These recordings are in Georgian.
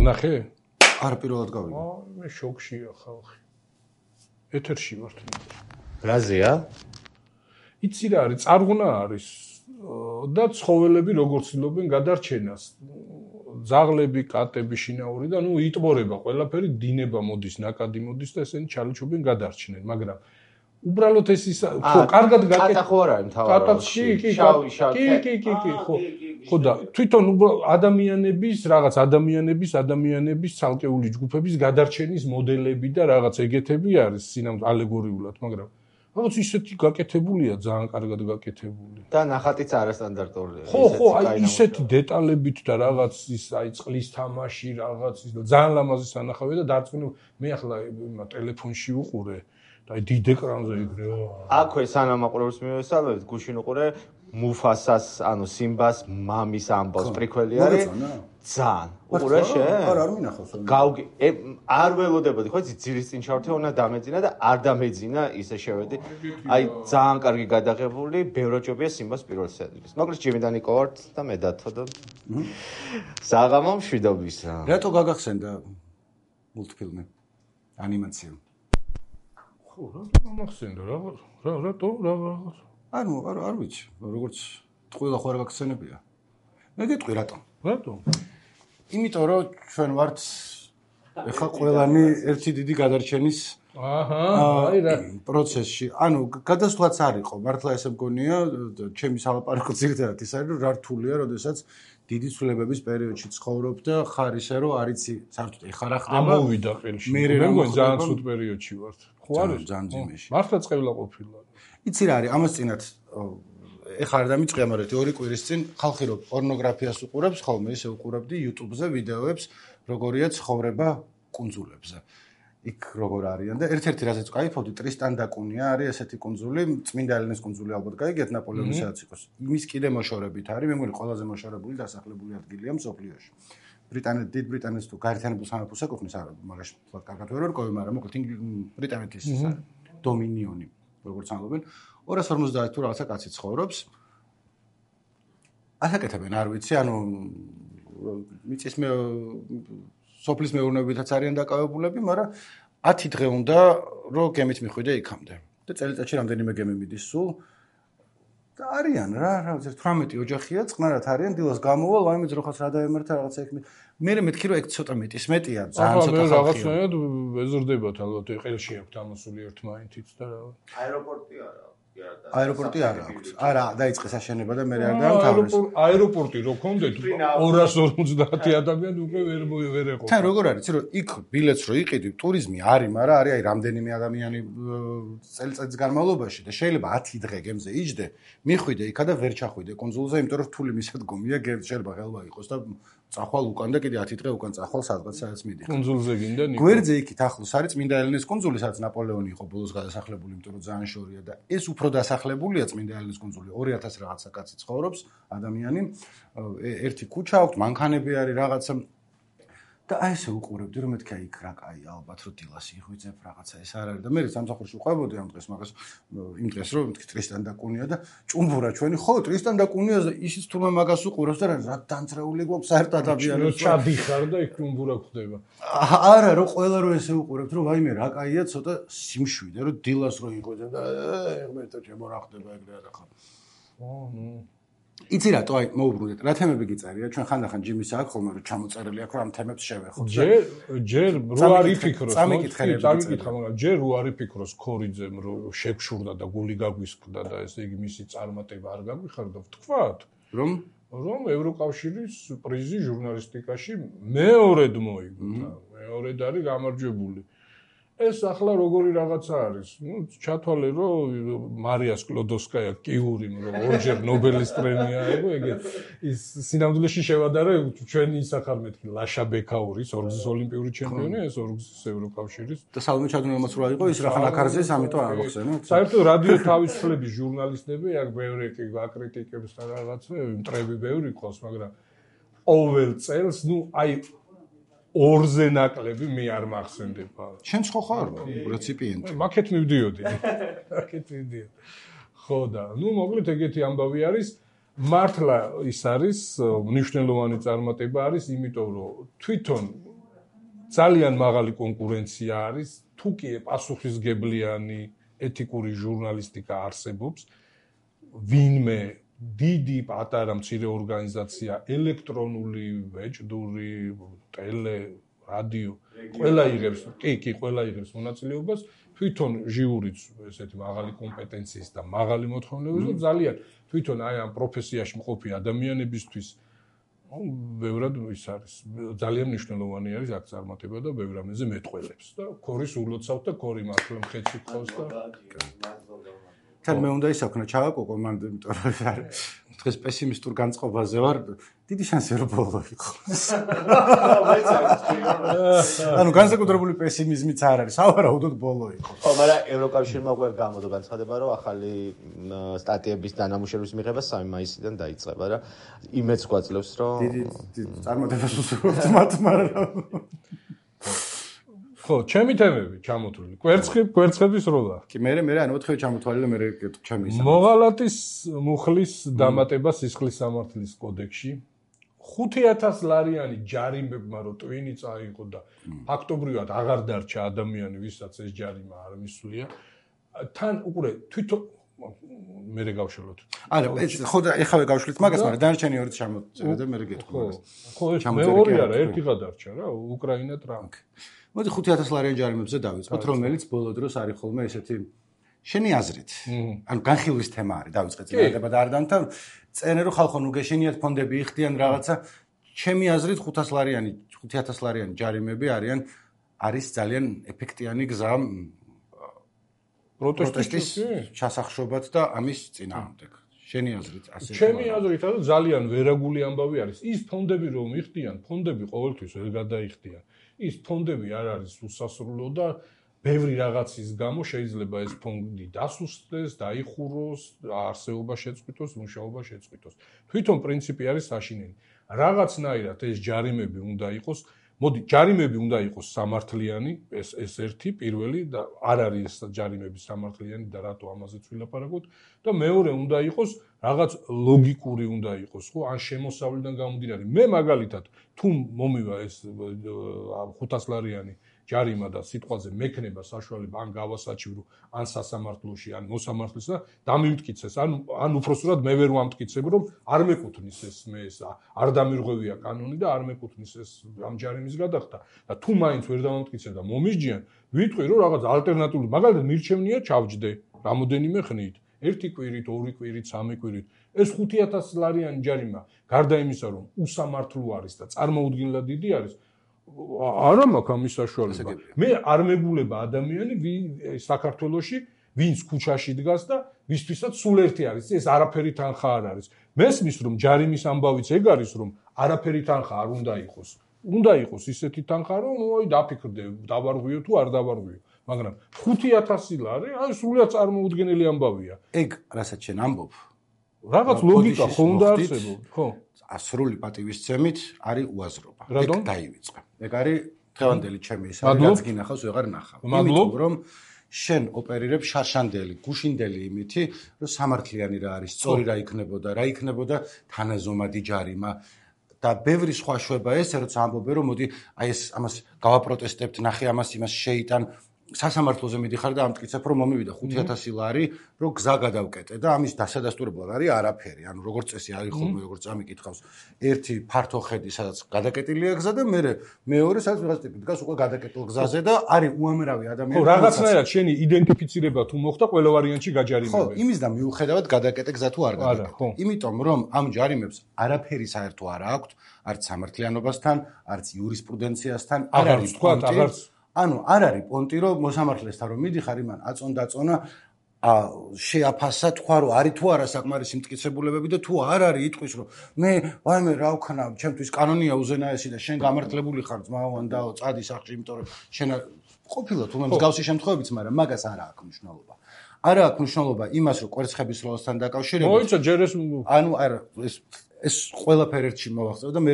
ვნახე? არ პირველად გავიგე. მე შოქშია ხალხი. ეთერში ვართ. რაზეა? იცი რა არის, წარღვნა არის და ცხოველები როგორ ცდილობენ გადარჩენას. ძაღლები, კატები, შინაური და იტბორება ყველაფერი, დინება მოდის, ნაკადი მოდის და ესენი ჩალიჩობენ გადარჩნენ, მაგრამ უბრალოდ ეს ის ხო, კარგად გაკეთე. კატა ხო არ არის მთავარში. კი, ხო და თვითონ ადამიანების ცალკეული ჯგუფების გადარჩენის მოდელები და რაღაც ეგეთები არის სინამდვილე ალეგორიულად, მაგრამ რაღაც ისეთი გაკეთებულია, ძალიან კარგად გაკეთებული. და ნახატიც არასტანდარტულია. ხო, აი ისეთი დეტალებით და რაღაც ის აი წყლის თამაში, რაღაც ის ძალიან ლამაზი სანახავია და დარწმუნებული მე ახლა ტელეფონში უყურე და აი დიდ ეკრანზე იქნე. აქვე სანამ აყურებს მიესალმებით, გუშინ უყურე მუფასას, ანუ სიმბას მამის ამბავს პრიკველი არის. ძალიან. უყურე შენ? არ მინახავს. გავგი არ ველოდებოდი, ხო იცი, ძირის წინ ჩავრთე, უნდა დამეძინა და არ დამეძინა, ისე შევედი. აი ძალიან კარგი გადაღებული, ბევროჯობია სიმბას პირველ სერიის. მოკლედ ჯიმიდან იყო ვართ და მე დათო და საღამო მშვიდობისა. რატო გაგახსენდა მულტფილმი? ანიმაცია. ხო, რატო გამახსენდა? რატო? ანუ არ ვიცი, როგორც ყველა ხო არ გაგხსენებია. მე გეტყვი რატო? რატო? იმიტომ რომ ჩვენ ვართ ეხა ყველანი ერთი დიდი გადარჩენის აი რა პროცესში. ანუ გადასვლაც არ იყო, მართლა ესე მგონია, ჩემი სალაპარაკო ძირითადად ის არის, რომ რა რთულია, როდესაც დიდი ცვლილებების პერიოდში ცხოვრობ და ხარ ისე რომ არ იცი საერთოდ ეხა რა ხდება. ამოვიდა ყელში. მე მგონი ძალიან ცუდ პერიოდში ვართ. ხო არის? ძალიან ძიმეში. მართლა წევლა ყოფილა. იცი რა არის, ამას წინათ ეხა არ დამიწყია, მაგრამ 2 კვირის წინ ხალხი რო პორნოგრაფიას უყურებს, ხოლმე ისე უყურებდი YouTube-ზე ვიდეოებს, როგორია ცხოვრება კუნძულებზე. იქ როგორ არიან და ერთ-ერთი რაზეც კაიფობდი, ტრისტან და კუნია არის ესეთი კუნძული, წმინდა ელენეს კუნძული ალბათ გაიგეთ ნაპოლეონის სადაც იყოს. იმის კიდე მოშორებით არის, მე მგონი ყველაზე მოშორებული დასახლებული ადგილია მსოფლიოში. დიდ ბრიტანეთს თუ გაერთიანებულ სამეფოს ეკუთვნის, მაგაში თქვა კარგად ვერ ვერკოვი, მაგრამ მოკლედ ბრიტანეთის დომინიონი, როგორც ამბობენ, 250 თუ რაღაცა კაცი ცხოვრობს. ასაკეთებენ, არ ვიცი, ანუ მიწის სოფლის მეურნეობითაც არიან დაკავებულები, მაგრამ 10 დღე უნდა რომ გემით მიხვიდე იქამდე. და წელიწადში რამდენიმე გემი მიდის სულ. და არიან რა 18 ოჯახია, წყნარად არიან, დილას გამოვალ, ვაიმეც როხას რა დაემართა რაღაცა იქ. მე მეთქი რომ ეგ ცოტა მეტია, ძალიან ცოტა ხალხია. რაღაცნაირად ეზრდებათ ალბათ, ყელში აქვთ ამოსული ერთმანეთიც და რა. აეროპორტი არა. აეროპორტი არ აქვს. არა, დაიწყეს აშენება და მე არ დაამთავრეს. აეროპორტი რო კონდეთ 250 ადამიანი უკვე ვერ ეყო. თან როგორ არის, რომ იქ ბილეთს რო იყიდი, ტურიზმი არის, მაგრამ არის აი რამდენიმე ადამიანი წელიწადის განმავლობაში და შეიძლება 10 დღე გემზე იჯდე, მიხვიდე იქა და ვერ ჩახვიდე კუნძულზე, იმიტომ რომ რთული მისადგომია, შეიძლება ხელვა იყოს და წახვალ უკან და კიდე 10 დღე უკან წახვალ სადღაც მიდიხარ. კუნძულზე გინდა ნიკო. გვერდზე იქით ახლოს არის წმინდა ელენეს კუნძული, სადაც ნაპოლეონი იყო ბოლოს გადასახლებული, იმიტომ რომ ძალიან შორია და ეს უფრო დასახლებულია წმინდა ელენეს კუნძული. 2000 რაღაცა კაცი ცხოვრობს, ადამიანი. ერთი ქუჩა აქვს, მანქანები არის რაღაცა და აი ესე უყურებდი რომ მეთქი აი იქ რა კაი ალბათ რომ დილას იღვიძებ რაღაცა ეს არ არის და მე სამსახურში ვყვებოდი ამ დღეს მაგას იმ დღეს რომ მეთქი ტრისტან და კუნია და ჭუმბურა ჩვენი ხო ტრისტან და კუნიაზე ისიც თურმე მაგას უყურებს და რა დამწრეული გვაქვს საერთოდ ადამიანებს ჩადიხარ და იქ ჭუმბურა ხდება არა რომ ყველა რო ესე უყურებთ რომ ვაიმე რა კაია ცოტა სიმშვიდე რომ დილას რო იღვიძებ და ღმერთო ჩემო რა ხდება ეგრე არა ხა იცი რატო აი მოუბრუნდეთ რა თემები გიწერია ჩვენ ხანდახან ჯიმის აქვს ხოლმე რომ ჩამოწერილი აქვს რომ ამ თემებს შევეხოთ ჯერ რო არ იფიქროს წამიკითხები წამიკითხა მაგრამ ჯერ რო არ იფიქროს ქორიძემ რომ შეგვშურდა და გული გაგვისკდა და ესე იგი მისი წარმატება არ გაგვიხარდა ვთქვათ რომ ევროკავშირის პრიზი ჟურნალისტიკაში მეორედ მოიგო მეორედ არის გამარჯვებული ეს ახლა როგორი რაღაცა არის. ჩათვალე რომ მარია სკლოდოვსკაია კიურიმ რომ ორჯერ ნობელის პრემია აიღო, ეგეთ ის სინამდვილეში შევადარე ჩვენი ისახარ მეთქი ლაშა ბექაურის ორგზის ოლიმპიური ჩემპიონი, ეს ორგზის ევროკავშირის და სალომე ჩადუნელმაც რო აიღო ის რახან აკარზეს, ამიტომ არ აღხსენოთ. საერთოდ რადიო თავისუფლების ჟურნალისტები აქ ბევრი აკრიტიკებს და რაღაცა, მტრები ბევრი ყავს, მაგრამ ყოველ წელს, აი ორზე ნაკლები მე არ მახსენდება. შენ ხო ხარ რეციპიენტი? მაკეთ მივდიოდი. ხო და, მოკლედ ეგეთი ამბავი არის. მართლა ის არის მნიშვნელოვანი წარმატება არის, იმიტომ რომ თვითონ ძალიან მაღალი კონკურენცია არის, თუ კი პასუხისგებლიანი ეთიკური ჟურნალისტიკა არსებობს, ვინმე დიდი პატარა მცირე ორგანიზაცია, ელექტრონული, ვეჭდური, ტელე, რადიო, ყველა იღებს, კი, ყველა იღებს მონაწილეობას, თვითონ ჟიურიც ესეთი მაღალი კომპეტენციის და მაღალი მოთხოვნილების და ძალიან თვითონ აი ამ პროფესიაში მყოფი ადამიანებისთვის ბევრად ის არის, ძალიან მნიშვნელოვანი არის აქ წარმატება და ბევრ ამაზე მეტყველებს და ქორის ულოცავთ და ქორი მართლა მხეცი ყავს და თან მე უნდა ისაქნა ჩავაკოკო მან იმიტომ რომ არის დღეს პესიმისტურ განწყობაზე ვარ დიდი შანსი რომ ბოლო იყოს ანუ განსაკუთრებული პესიმიზმიც არ არის სავარაუდოდ ბოლო იყოს ხო მაგრამ ევროკავშირმა უკვე გამოდგა განცხადება რომ ახალი სტატიების დანამუშევრების მიღება 3 მაისიდან დაიწყება რა იმედს გვაძლევს რომ დიდი წარმატებას უსურვებთ მათ მაგრამ ხო, ჩემი თემები ჩამოთვლილი. კვერცხების როლა. კი, მე ანუ 4 ჩამოთვალე და მე ჩემი ისა. მოღალატის მუხლის დამატება სისხლის სამართლის კოდექსში 5000 ლარიანი ჯარიმებმა რო ტვინი წაიღო და ფაქტობრივად აღარ დარჩა ადამიანი, ვისაც ეს ჯარიმა არ მისვლია. თან უკვე თვითონ მე გავშალოთ. არა, ხო და ეხავე გავშლით მაგას, მაგრამ დანარჩენი ორიც ჩამოწერა და მე გეტყვი მაგას. ხო, მეორე არა, ერთი გადარჩა რა, უკრაინა ტრამპი. მოდი 5000 ლარიან ჯარიმებზე დავიწყოთ, რომელიც ბოლო დროს არის ხოლმე ესეთი შენი აზრით. ანუ განხილვის თემა არის, დავიწყეთ წინააღმდეგ და არ დამთავრ. წერენ რომ ხალხო ნუ გეშენიათ ფონდები იხდიან რაღაცა. ჩემი აზრით 5000 ლარიანი ჯარიმები არის ძალიან ეფექტიანი გზა პროტესტის ჩასახშობად და ამის წინააღმდეგ. შენი აზრით ასე. ჩემი აზრით ძალიან ვერაგული ამბავი არის. ის ფონდები რომ იხდიან, ფონდები ყოველთვის ვერ გადაიხდიან. ის ფონდები არ არის უსასრულო და ბევრი რაღაცის გამო შეიძლება ეს ფონდი დასუსტდეს, დაიხუროს, არსებობა შეწყვიტოს, მუშაობა შეწყვიტოს. თვითონ პრინციპი არის საშინელი. რაღაცნაირად ეს ჯარიმები უნდა იყოს, მოდი, ჯარიმები უნდა იყოს სამართლიანი, ეს ერთი პირველი და არ არის ეს ჯარიმები სამართლიანი და რატო ამაზეც ვილაპარაკოთ და მეორე უნდა იყოს რაღაც ლოგიკური უნდა იყოს, ხო, ან შემოსავლიდან გამომდინარე. მე მაგალითად თუ მომივა ეს 500 ლარიანი ჯარიმა და სიტყვაზე მექნება საშუალება ან გავასაჩივრო, ან სასამართლოში, ან მოსამართლეს და დამიმტკიცეს, ან უпроსტად მე ვერ ვამტკიცებ, რომ არ მეკუთვნის ეს მე ეს არ დამირღვევია კანონი და არ მეკუთვნის ეს ამ ჯარიმის გადახდა და თუ მაინც ვერ დავამტკიცებ და მომისჯიან, ვიტყვი რომ რაღაც ალტერნატიული, მაგალითად მირჩევნია ჩავჯდე რამოდენიმე ხნით, 1 კვირით, 2 კვირით, 3 კვირით. ეს 5000 ლარიანი ჯარიმა, გარდა იმისა, რომ უსამართლო არის და წარმოუდგენლად დიდი არის, არა მაქვს ამის საშუალება. მე არ მეგულება ადამიანი საქართველოში, ვინც ქუჩაში დგას და ვისთვისაც სულ ერთი არის, ეს არაფერი თანხა არ არის. მესმის რომ ჯარიმის ამბავიც ეგ არის, რომ არაფერი თანხა არ უნდა იყოს. უნდა იყოს ისეთი თანხა, რომ ნუ დაფიქრდე, დავარღვიო თუ არ დავარღვიო. მაგრამ 5000 ლარი, აი სულიად წარმოუდგენელი ამბავია. ეგ რასაც შენ ამბობ, რაღაც ლოგიკა ხო უნდა არსებობს, ხო? ასრული პატივისცემით არის უაზრობა. ეგ დაივიწყე. ეგ არის დღევანდელი ჩემი ის არის, რაც გინახავს ვეღარ ნახავ. იმიტომ რომ შენ ოპერირებ შარშანდელი, გუშინდელი იმითი, რომ სამართლიანი რა არის, სწორი რა იქნებოდა თანაზომადი ჯარიმა და ბევრი სხვა შვება ესე, როცა ამბობენ რომ მოდი აი ეს ამას გავაპროტესტებთ, ნახე ამას იმას შეიტან სასამართლოზე მიდიხარ და ამტკიცებ რომ მომივიდა 5000 ლარი, რომ გზა გადავკეტე და ამის დასადასტურებლად არის არაფერი. ანუ როგორც წესი არის ხოლმე როგორც წამიკითხავს, ერთი ფართო ხედი, სადაც გადაკეტილია გზა და მეორე სადაც ვიღაც ტიპი დგას უკვე გადაკეტილ გზაზე და არის უამრავი ადამიანი. ხო, რაღაცნაირად შენი იდენტიფიცირება თუ მოხდა, ყველა ვარიანტში გაჯარიმებენ. ხო, იმის და მიუხედავად გადაკეტე გზა თუ არ გადაკეტე. იმიტომ რომ ამ ჯარიმებს არაფერი საერთო არ აქვს, არც სამართლიანობასთან, არც იურისპრუდენციასთან, არ არის თქვა, ანუ არ არის პონტი რომ მოსამართლესთან რომ მიდიხარ იმან აწონ-დაწონა შეაფასა თქვა რომ არის თუ არა საკმარისი მტკიცებულებები და თუ არ არის იტყვის რომ მე ვაიმე რა ვქნა ჩემთვის კანონია უზენაესი და შენ გამართლებული ხარ ძმაოვან დაო წადი სახლში იმიტომ რომ შენ ყოფილა თუ მე მსგავსი შემთხვევებიც მაგრამ მაგას არა აქვს მნიშვნელობა არა აქვს მნიშვნელობა იმას რომ კვერცხების როლასთან დაკავშირებით მოიცა ჯერ ანუ არა ეს ყველაფერი ერთში მოვახცევ და მე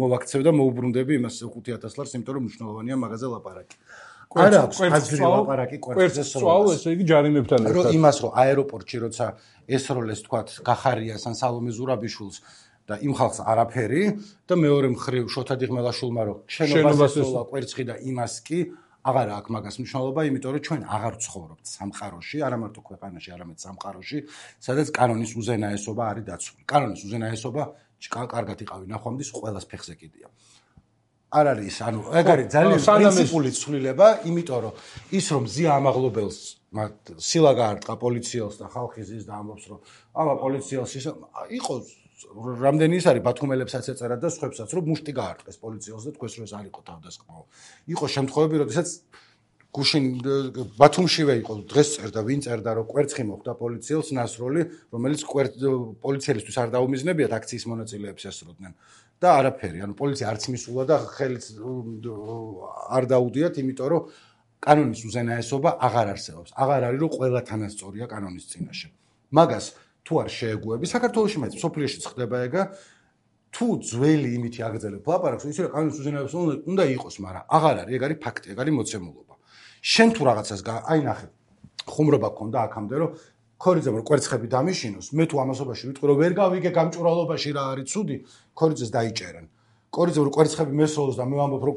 მოვაქცევ და მოუბრუნდები იმას 5000 ლარს, იმიტომ რომ მნიშვნელოვანია მაგაზე ლაპარაკი. არა აქვს აზრი ლაპარაკი კვერცხზე სწავლ, ესე იგი ჯარიმებთან ერთად. რომ იმას რომ აეროპორტში როცა ესროლეს თქვათ გახარიას ან სალომე ზურაბიშვილს და იმ ხალხს არაფერი და მეორე მხრივ შოთა დიღმელაშვილმა რომ შენობას ესოლა კვერცხი და იმას კი აღარ აქვს მაგას მნიშვნელობა, იმიტომ რომ ჩვენ აღარ ვცხოვრობთ სამყაროში, არა მარტო ქვეყანაში, არამედ სამყაროში, სადაც კანონის უზენაესობა არის დაცული. კანონის უზენაესობა კარგად იყავი ნახვამდის ყველას ფეხზე კიდია. არ არის, ანუ ეგ არის ძალიან პრინციპული ცვლილება, იმიტომ რომ ის რომ ზია ამაღლობელს სილა გაარტყა პოლიციელს და ხალხი ზის და ამბობს რომ აბა პოლიციელს ის იყო რამდენი ის არის ბათუმელებსაც ეწერა და სხვებსაც რომ მუშტი გაარტყეს პოლიციელს და თქვენს რომ ეს არ იყო თავდასხმაო. იყო შემთხვევები, როდესაც გუშინ ბათუმშივე იყო დღეს წერდა ვინ წერდა რომ კვერცხი მოხდა პოლიციელს ნასროლი, რომელიც პოლიციელისთვის არ დაუმიზნებიათ აქციის მონაწილეებს ესროდნენ. და არაფერი, ანუ პოლიცია არც მისულა და ხელიც არ დაუდიათ, იმიტომ რომ კანონის უზენაესობა აღარ არსებობს. აღარ არის რომ ყველა თანასწორია კანონის წინაშე. მაგას თუ არ შეეგუები, საქართველოში მეც სოფლიოშიც ხდება ეგა, თუ ძველი იმითი აგრძელებ ლაპარაკს, ისე რომ კანონის უზენაესობა უნდა იყოს, მაგრამ აღარ არის, ეგ არის ფაქტი, ეგ არის მოცემულობა. შენ თუ რაღაცას აი ნახე, ხუმრობა გქონდა აქამდე რომ ქორიძემ რომ კვერცხები დამიშინოს, მე თუ ამასობაში ვიტყვი რომ ვერ გავიგე გამჭვირვალობაში რა არის ცუდი, ქორიძეს დაიჭერენ. ქორიძემ რომ კვერცხები მესროლოს და მე ვამბობ რომ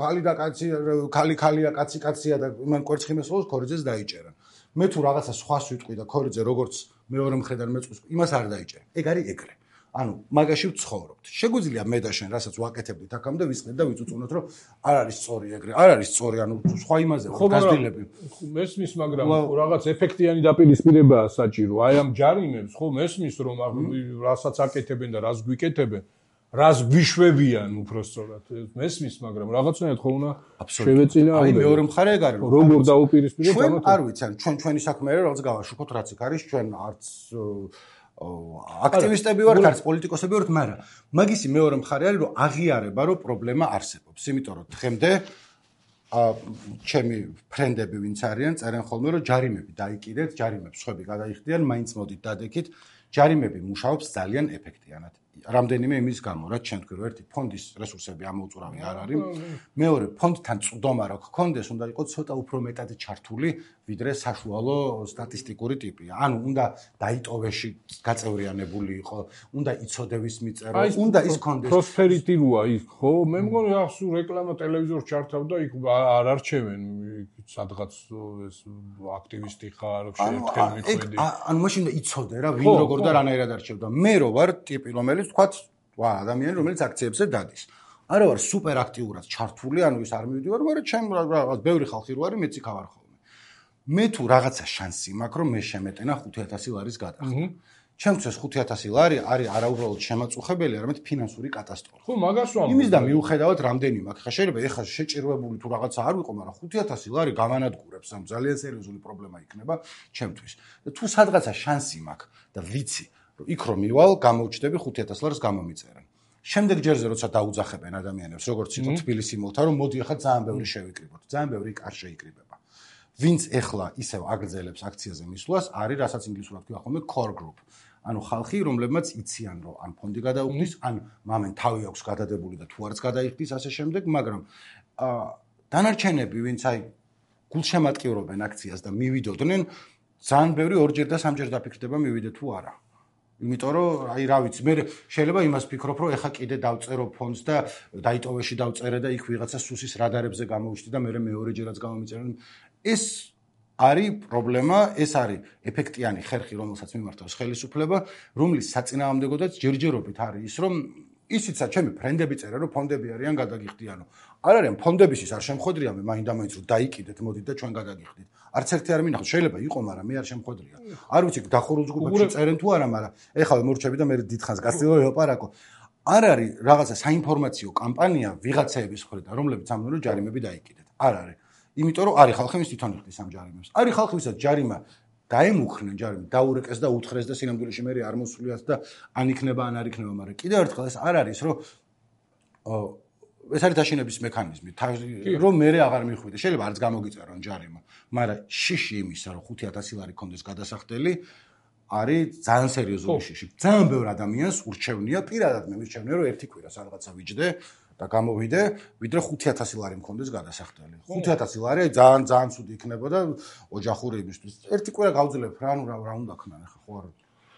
ქალი და კაცი, ქალია, კაცი კაცია და იმან კვერცხი მესროლოს, ქორიძეს დაიჭერენ. მე თუ რაღაცა სხვას ვიტყვი და ქორიძე როგორც მეორე მხრიდან მეწყვის, იმას არ დაიჭერენ. ეგ არის ეგრე. ანუ მაგაში ვცხოვრობთ. შეგვიძლია მე და შენ რასაც ვაკეთებდით აქამდე ვისყიდეთ და ვიწუწუნოთ რომ არ არის სწორი ეგრე. არ არის სწორი, ანუ სხვა იმაზე ვარ გაზრდილები. მესმის, მაგრამ რაღაც ეფექტიანი დაპირისპირებაა საჭირო. აი ამ ჯარიმებს ხო მესმის რომ რასაც აკეთებენ და რას გვიკეთებენ, რას გვიშვებიან უბრალოდ. მესმის, მაგრამ რაღაცნაირად ხო უნდა შევეწინააღმდეგოთ. აი მეორე მხარე ეგ არის. როგორ დაუპირისპირებთ ჩვენ არ ვიცი, ანუ ჩვენი საქმე არის რაღაც გავაშუქოთ რაც იქ არის, ჩვენ არც აქტივისტები ვართ, არც პოლიტიკოსები ვართ, მაგრამ მაგისი მეორე მხარე არის, რომ აღიარება, რომ პრობლემა არსებობს. იმიტომ რომ დღემდე ჩემი ფრენდები ვინც არიან, წერენ ხოლმე, რომ ჯარიმები დაიკიდეთ, ჯარიმებს სხვები გადაიხდიან, მაინც მოდით დადექით, ჯარიმები მუშაობს ძალიან ეფექტიანად. რამდენიმე იმის გამო, რაც ჩვენ თქვი, რომ ერთი ფონდის რესურსები ამოუწურავი არ არის. მეორე, ფონდთან წვდომა რო გქონდეს, უნდა იყოს ცოტა უფრო მეტად ჩართული, ვიდრე საშუალო სტატისტიკური ტიპია. ანუ უნდა დაიტოვეში გაწევრიანებული იყო, უნდა იცოდეს მიწერო, უნდა ის ქონდეს. პროსპერიტი როა იქ, ხო? მე მგონი რა სულ რეკლამა ტელევიზორს ჩართავდა, იქ არ არჩევენ სადღაც ეს აქტივისტი ხარ, შეერთხელ მიხვედი. ანუ მაშინ უნდა იცოდე რა, ვინ როგორ და რანაირად არჩევდა. მე რო ვარ ტიპი, რომელიც თქვათ, ადამიანი, რომელიც აქციებზე დადის. არა ვარ სუპერ აქტიურად ჩართული, ანუ ის არ მივიდივარ, მაგრამ ჩემ რაღაც ბევრი ხალხი რო არის, მეც იქ ავარ ხოლმე. მე თუ რაღაცა შანსი მაქვს, რომ მე შემეტენა 5000 ლარის გადახდა. ჩემთვის 5000 ლარი არის არაუბრალოდ შემაწუხებელი, არამედ ფინანსური კატასტროფა. ხო, მაგას ვამბობ. იმის და მიუხედავად რამდენი მაქვს. ხა შეიძლება ეხლა შეჭირვებული თუ რაღაცა არ ვიყო, მაგრამ 5000 ლარი გამანადგურებს, ამ ძალიან სერიოზული პრობლემა იქნება ჩემთვის. და თუ სადღაცა შანსი მაქვს და ვიცი, რომ იქ რომ მივალ, გამოვჩდები 5000 ლარს გამომიწერენ. შემდეგ ჯერზე როცა დაუძახებენ ადამიანებს, როგორც იყო თბილისი მოლთა, რომ მოდი ახლა ძალიან ბევრი შევიკრიბოთ. ძალიან ბევრი არ შეიკრიბება. ვინც ეხლა ისევ აგრძელებს აქციაზე მისვლას, არის რასაც ინგლისურად ქვია ხოლმე core group. ანუ ხალხი, რომლებმაც იციან, რომ ან ფონდი გადაუხდის, ან მამენ თავი აქვს გადადებული და თუ არც გადაიხდის ასე შემდეგ, მაგრამ დანარჩენები, ვინც აი გულშემატკივრობენ აქციას და მივიდოდნენ, ძალიან ბევრი ორჯერ და სამჯერ დაფიქრდება მივიდე თუ არა. იმიტომ რომ აი რა ვიცი, მე შეიძლება იმას ვფიქრობ, რომ ეხა კიდე დავწერო ფონდს და დაიტოვეში დავწერე და იქ ვიღაცა სუსის რადარებზე გამოვიშდი და მე მეორეჯერაც გამომიწერენ. ეს არის პრობლემა, ეს არის ეფექტიანი ხერხი, რომელსაც მიმართავს ხელისუფლება, რომლის საწინააღმდეგოდაც ჯერჯერობით არის ის, რომ ისიც ჩემი ფრენდები წერენ, რომ ფონდები არიან გადაგიხდიანო. არ არიან ფონდებისთვის არ შემხვედრია მე მაინდა-მაინც რომ დაიკიდეთ, მოდით და ჩვენ გადაგიხდით. არც ერთი არ მინახავს, შეიძლება იყო, მაგრამ მე არ შემხვედრია. არ ვიცი, დახურულ ჯგუფებში წერენ თუ არა, მაგრამ ეხლა მორჩები და მე დიდხანს გასწილო ელაპარაკო. არ არის რაღაცა საინფორმაციო კამპანია ვიღაცეების მხრიდან, რომლებიც ამბობენ, რომ ჯარიმები დაიკიდეთ. არ არის. იმიტომ რომ არის ხალხი, ვინც თვითონ იხდის ამ ჯარიმებს. არის ხალხი, ვისაც ჯარიმა დაემუქრნენ, ჯარიმი დაურეკეს და უთხრეს და სინამდვილეში მე არ მოსულიათ და ან იქნება, ან არ იქნება, მაგრამ კიდევ ერთხელ ეს არ არის, რომ ეს არის დაშინების მექანიზმი, რომ მე აღარ მიხვიდე. შეიძლება არც გამოგიწერონ ჯარიმა, მაგრამ შიში იმისა, რომ 5000 ლარი კონდეს გადასახდელი, არის ძალიან სერიოზული შიში. ძალიან ბევრ ადამიანს ურჩევნია, პირადად მე მირჩევნია, რომ ერთი კვირა სადღაცა ვიჯდე და გამოვიდე, ვიდრე 5000 ლარი მქონდეს გადასახდელი. 5000 ლარი ძალიან ცუდი იქნებოდა ოჯახური იმისთვის. ერთი კვირა გავძლებ რა, ანუ რა უნდა ქნან ახლა ხო არა.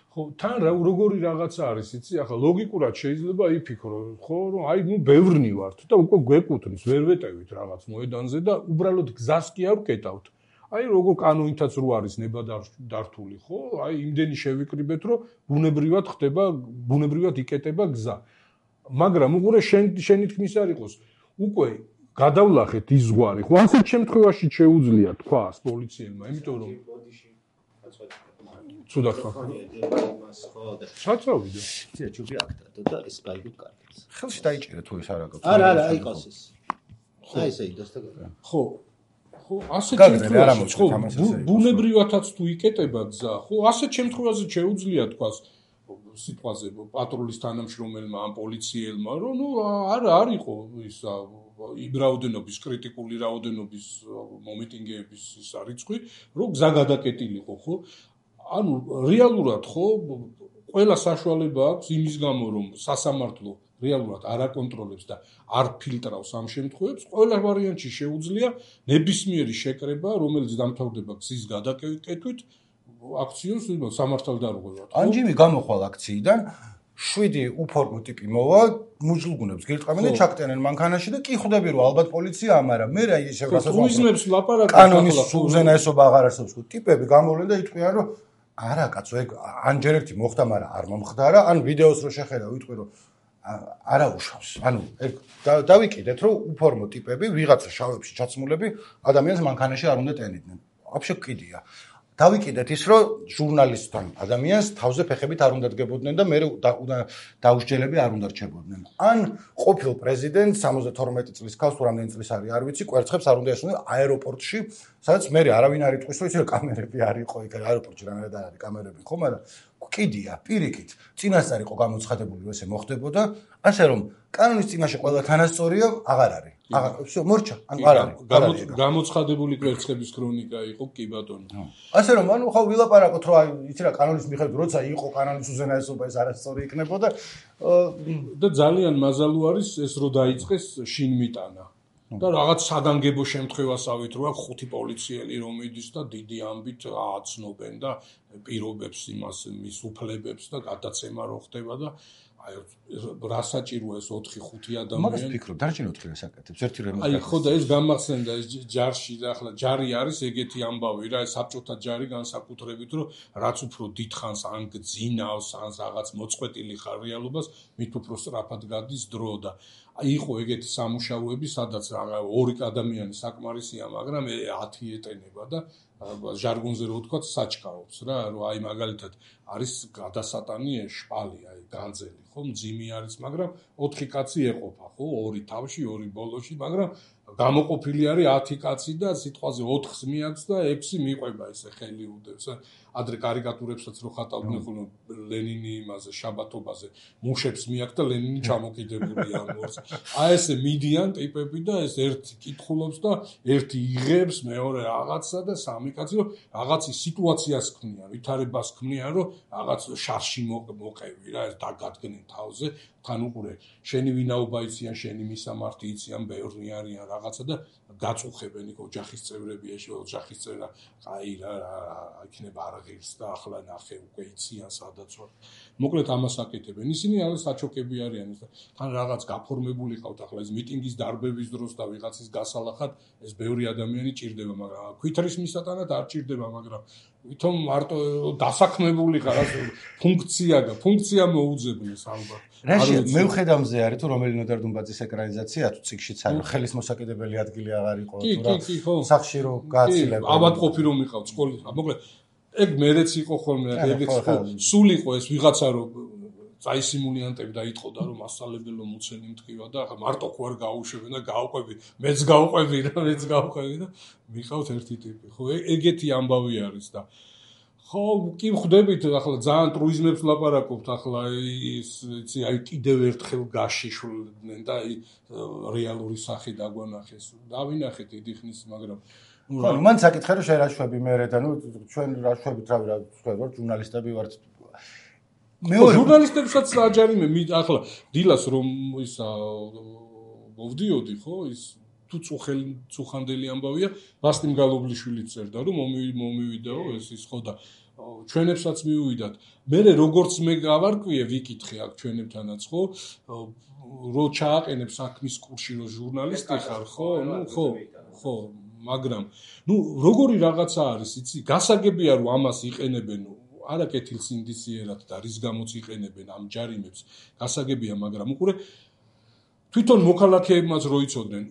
ხო, თან როგორი რაღაცა არის, იცი, ახლა ლოგიკურად შეიძლება იფიქრო, ხო, რომ აი, ბევრნი ვართ და უკვე გვეკუთვნის, ვერ ვეტევით რაღაც მოედანზე და უბრალოდ გზას კი არ ვკეტავთ. აი, როგორ კანონითაც რო არის ნება დართული, ხო? აი, იმდენი შევიკრიბეთ, რომ ბუნებრივად იკეტება გზა. მაგრამ უყურე შენი თქმის არ იყოს, უკვე გადავლახეთ ის ზღვარი, ხო? ასეთ შემთხვევაში შეუძლია თქვას პოლიციელმა, იმიტომ რომ ცუდად ხარ. საწავიდო. ცია ჯუბი აქტადო და ეს გაიგოთ კარგად. ხელში დაიჭერე თუ ეს არ აქვს. არა, აიყოს ეს. აი ესე იდოს და ხო. ხო, ასეთ შემთხვევაში, ხო, ბუნებრივადაც თუ იკეტება გზა, ხო, ასეთ შემთხვევაში შეუძლია თქვას სიტყვაზე პატრულის თანამშრომელმა ან პოლიციელმა, რომ არა არისო ის იმ რაოდენობის კრიტიკული რაოდენობის მომიტინგეების ის რიცხვი, რომ გზა გადაკეტილიყო, ხო? ანუ რეალურად ხო ყველა საშუალება აქვს იმის გამო რომ სასამართლო რეალურად არ აკონტროლებს და არ ფილტრავს ამ შემთხვევებს, ყველა ვარიანტში შეუძლია ნებისმიერი შეკრება, რომელიც დამთავრდება გზის გადაკეთვით, აქციოს სამართალდარღვევად. ანჯიმი გამოხვალ აქციიდან 7 უფორმო ტიპი მოვა, მუჯლუგუნებს გირტყამენ და ჩაკტენენ მანქანაში და კი ხვდები რომ ალბათ პოლიცია ამარა. მე რა ისე გასასწორებს ლაპარაკობ კანონის უზენაესობა აღარ არსებობს. ტიპები გამოვლენ და იტყვიან რომ არა კაცო, ეგ ანჯერ ერთი მოხდა, მაგრამ არ მომხდარა, ან ვიდეოს რო შეხედა, ვიტყვი რომ არა უშავს. ანუ ეგ დავიკიდეთ რომ უფორმო ტიპები ვიღაცა შავებში ჩაცმულები ადამიანს მანქანაში არ უნდა ტენიდნენ. ვაფშე კიდია. დავიკიდეთ ის რომ ჟურნალისტთან ადამიანს თავზე ფეხებით არ უნდა დგებოდნენ და მე დაუსჯელები არ უნდა რჩებოდნენ. ან ყოფილ პრეზიდენტს 72 წლის ქალს თუ რამდენი წლის არის არ ვიცი, კვერცხებს არ უნდა ესვნენ აეროპორტში, სადაც მე არავინ არ იტყვის რომ იცი რომ კამერები არ იყო იქ აეროპორტში რამე და არის კამერები ხო, მაგრამ კიდია პირიქით წინასწარ იყო გამოცხადებული რომ ესე მოხდებოდა, ასე რომ კანონის წინაშე ყველა თანასწორია აღარ არის. всё, მორჩა, ან არ არის. გამოცხადებული კვერცხების ქრონიკა იყო კი ბატონო. ასე რომ ანუ ხო ვილაპარაკოთ რომ აი იცი რა კანონის მიხედვით როცა იყო კანონის უზენაესობა ეს არასწორი იქნებოდა და ძალიან მაზალუ არის ეს რომ დაიწყეს შინმიტანა. და რაღაც საგანგებო შემთხვევასავით რო აქვს 5 პოლიციელი რომ მიდის და დიდი ამბით აცნობენ და პირობებს იმას მის უფლებებს და გადაცემა რო ხდება და აი რა საჭიროა ეს 4-5 ადამიანი. მაგას ვფიქრობ, დარჩენ 4 რასაკეთებს, ერთი რემონტი. აი ხო და ეს გამახსენდა ეს ჯარში და ახლა ჯარი არის ეგეთი ამბავი რა, ეს საბჭოთა ჯარი განსაკუთრებით რომ რაც უფრო დიდხანს ან გძინავს, ან რაღაც მოწყვეტილი ხარ რეალობას, მით უფრო სწრაფად გადის დრო და იყო ეგეთი სამუშაოები, სადაც ორი ადამიანი საკმარისია, მაგრამ 10 ეტენება და ჟარგონზე რო ვთქვა საჩქაობს რა, რომ აი მაგალითად არის გადასატანი შპალი, აი განძელი, ხო, მძიმი არის, მაგრამ 4 კაცი ეყოფა, ხო, 2 თავში, 2 ბოლოში, მაგრამ გამოყოფილი არის 10 კაცი და სიტყვაზე 4-ს მიაქვს და 6 მიყვება ესე ხელი უდევს. ადრე კარიკატურებსაც რო ხატავდნენ ხოლმე ლენინი იმაზე შაბათობაზე მუშებს მიაქვს და ლენინი ჩამოკიდებული ამ ორს. აი ესე მიდიან ტიპები და ეს ერთი კითხულობს და ერთი იღებს, მეორე რაღაცა და სამი კაცი რომ რაღაცის სიტუაციას ქმნიან, ვითარებას ქმნიან, რომ რაღაც შარში მოყევი რა, ეს დაგადგნენ თავზე, თან უყურე, შენი ვინაობა იციან, შენი მისამართი იციან, ბევრი არიან რაღაცა და გაწუხებენ იქ ოჯახის წევრები, ეს ოჯახის წევრა, აი რა იქნება არღილს და ახლა ნახე უკვე იციან სადაც ვარ. მოკლედ ამას აკეთებენ. ისინი არის საჩოქები არიან და თან რაღაც გაფორმებული ყავთ ახლა ეს მიტინგის დარბების დროს და ვიღაცის გასალახად ეს ბევრი ადამიანი ჭირდება, მაგრამ ქვითრის მისატანად არ ჭირდება, მაგრამ ვითომ მარტო დასაქმებული ხარ ფუნქცია მოუძებნეს ალბათ. რაშია მე ვხედავ მზე არის თუ რომელი ნოდარ დუმბაძის ეკრანიზაცია თუ ციკშიც არის ხელის მოსაკიდებელი ადგილი აღარ იყო თუ რა სახში რო გააცილებ ავადმყოფი რომ იყავ სკოლის მოკლედ ეგ მერეც იყო ხოლმე ეგეც სულ იყო ეს ვიღაცა რომ წაისიმულიანტები დაიტყოდა რომ მასწავლებელო მუცელი მткиვა და ახლა მარტო ხო არ გაუშვებენ და გავყვები მეც გავყვები და მიყავთ ერთი ტიპი ხო ეგეთი ამბავი არის და ხო კი ხვდებით ახლა ძალიან ტრუიზმებს ლაპარაკობთ ახლა ის იცი აი კიდევ ერთხელ გაშიშვლდნენ და აი რეალური სახე დაგვანახეს დავინახეთ დიდი ხნის მაგრამ ხო მან საკითხე რომ შერაშვები მე და ნუ ჩვენ რაშვებით რავი რა ვთქვა ჟურნალისტები ვართ მეორე ჟურნალისტებსაც აჯარი მე ახლა დილას რომ ისა მოვდიოდი ხო ის თუ წუხანდელი ამბავია ვასტიმ გალობლიშვილი წერდა რომ მომივიდაო ეს ის ხო და ჩვენებსაც მიუვიდათ. მე როგორც მე გავარკვიე ვიკითხე აქ ჩვენებთანაც, ხო? რო ჩააყენებ საქმის კურსში რო ჟურნალისტი ხარ, ხო? ხო, მაგრამ როგორი რაღაცა არის, იცი? გასაგებია რომ ამას იყენებენ არა კეთილ სინდისიერად და რის გამოც იყენებენ ამ ჯარიმებს. გასაგებია, მაგრამ უყურე თვითონ მოქალაქეებმაც რო იცოდნენ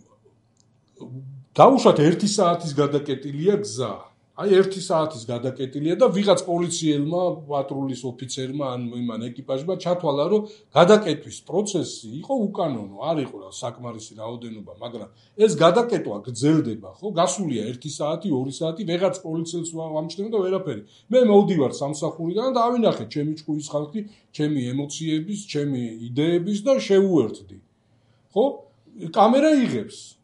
დაუშვათ 1 საათის გადაკეტილია გზა. აი 1 საათის გადაკეტილია და ვიღაც პოლიციელმა, პატრულის ოფიცერმა ან იმან ეკიპაჟმა ჩათვალა, რომ გადაკეტვის პროცესი იყო უკანონო, არ იყო საკმარისი რაოდენობა, მაგრამ ეს გადაკეტვა გრძელდება, ხო? გასულია 1 საათი, 2 საათი, ვეღაც პოლიციელს ვამჩნევ და ვერაფერი. მე მოვდივარ სამსახურიდან და ავინახე ჩემი ჭკუის ხალხი, ჩემი ემოციების, ჩემი იდეების და შევუერთდი. ხო? კამერა იღებს.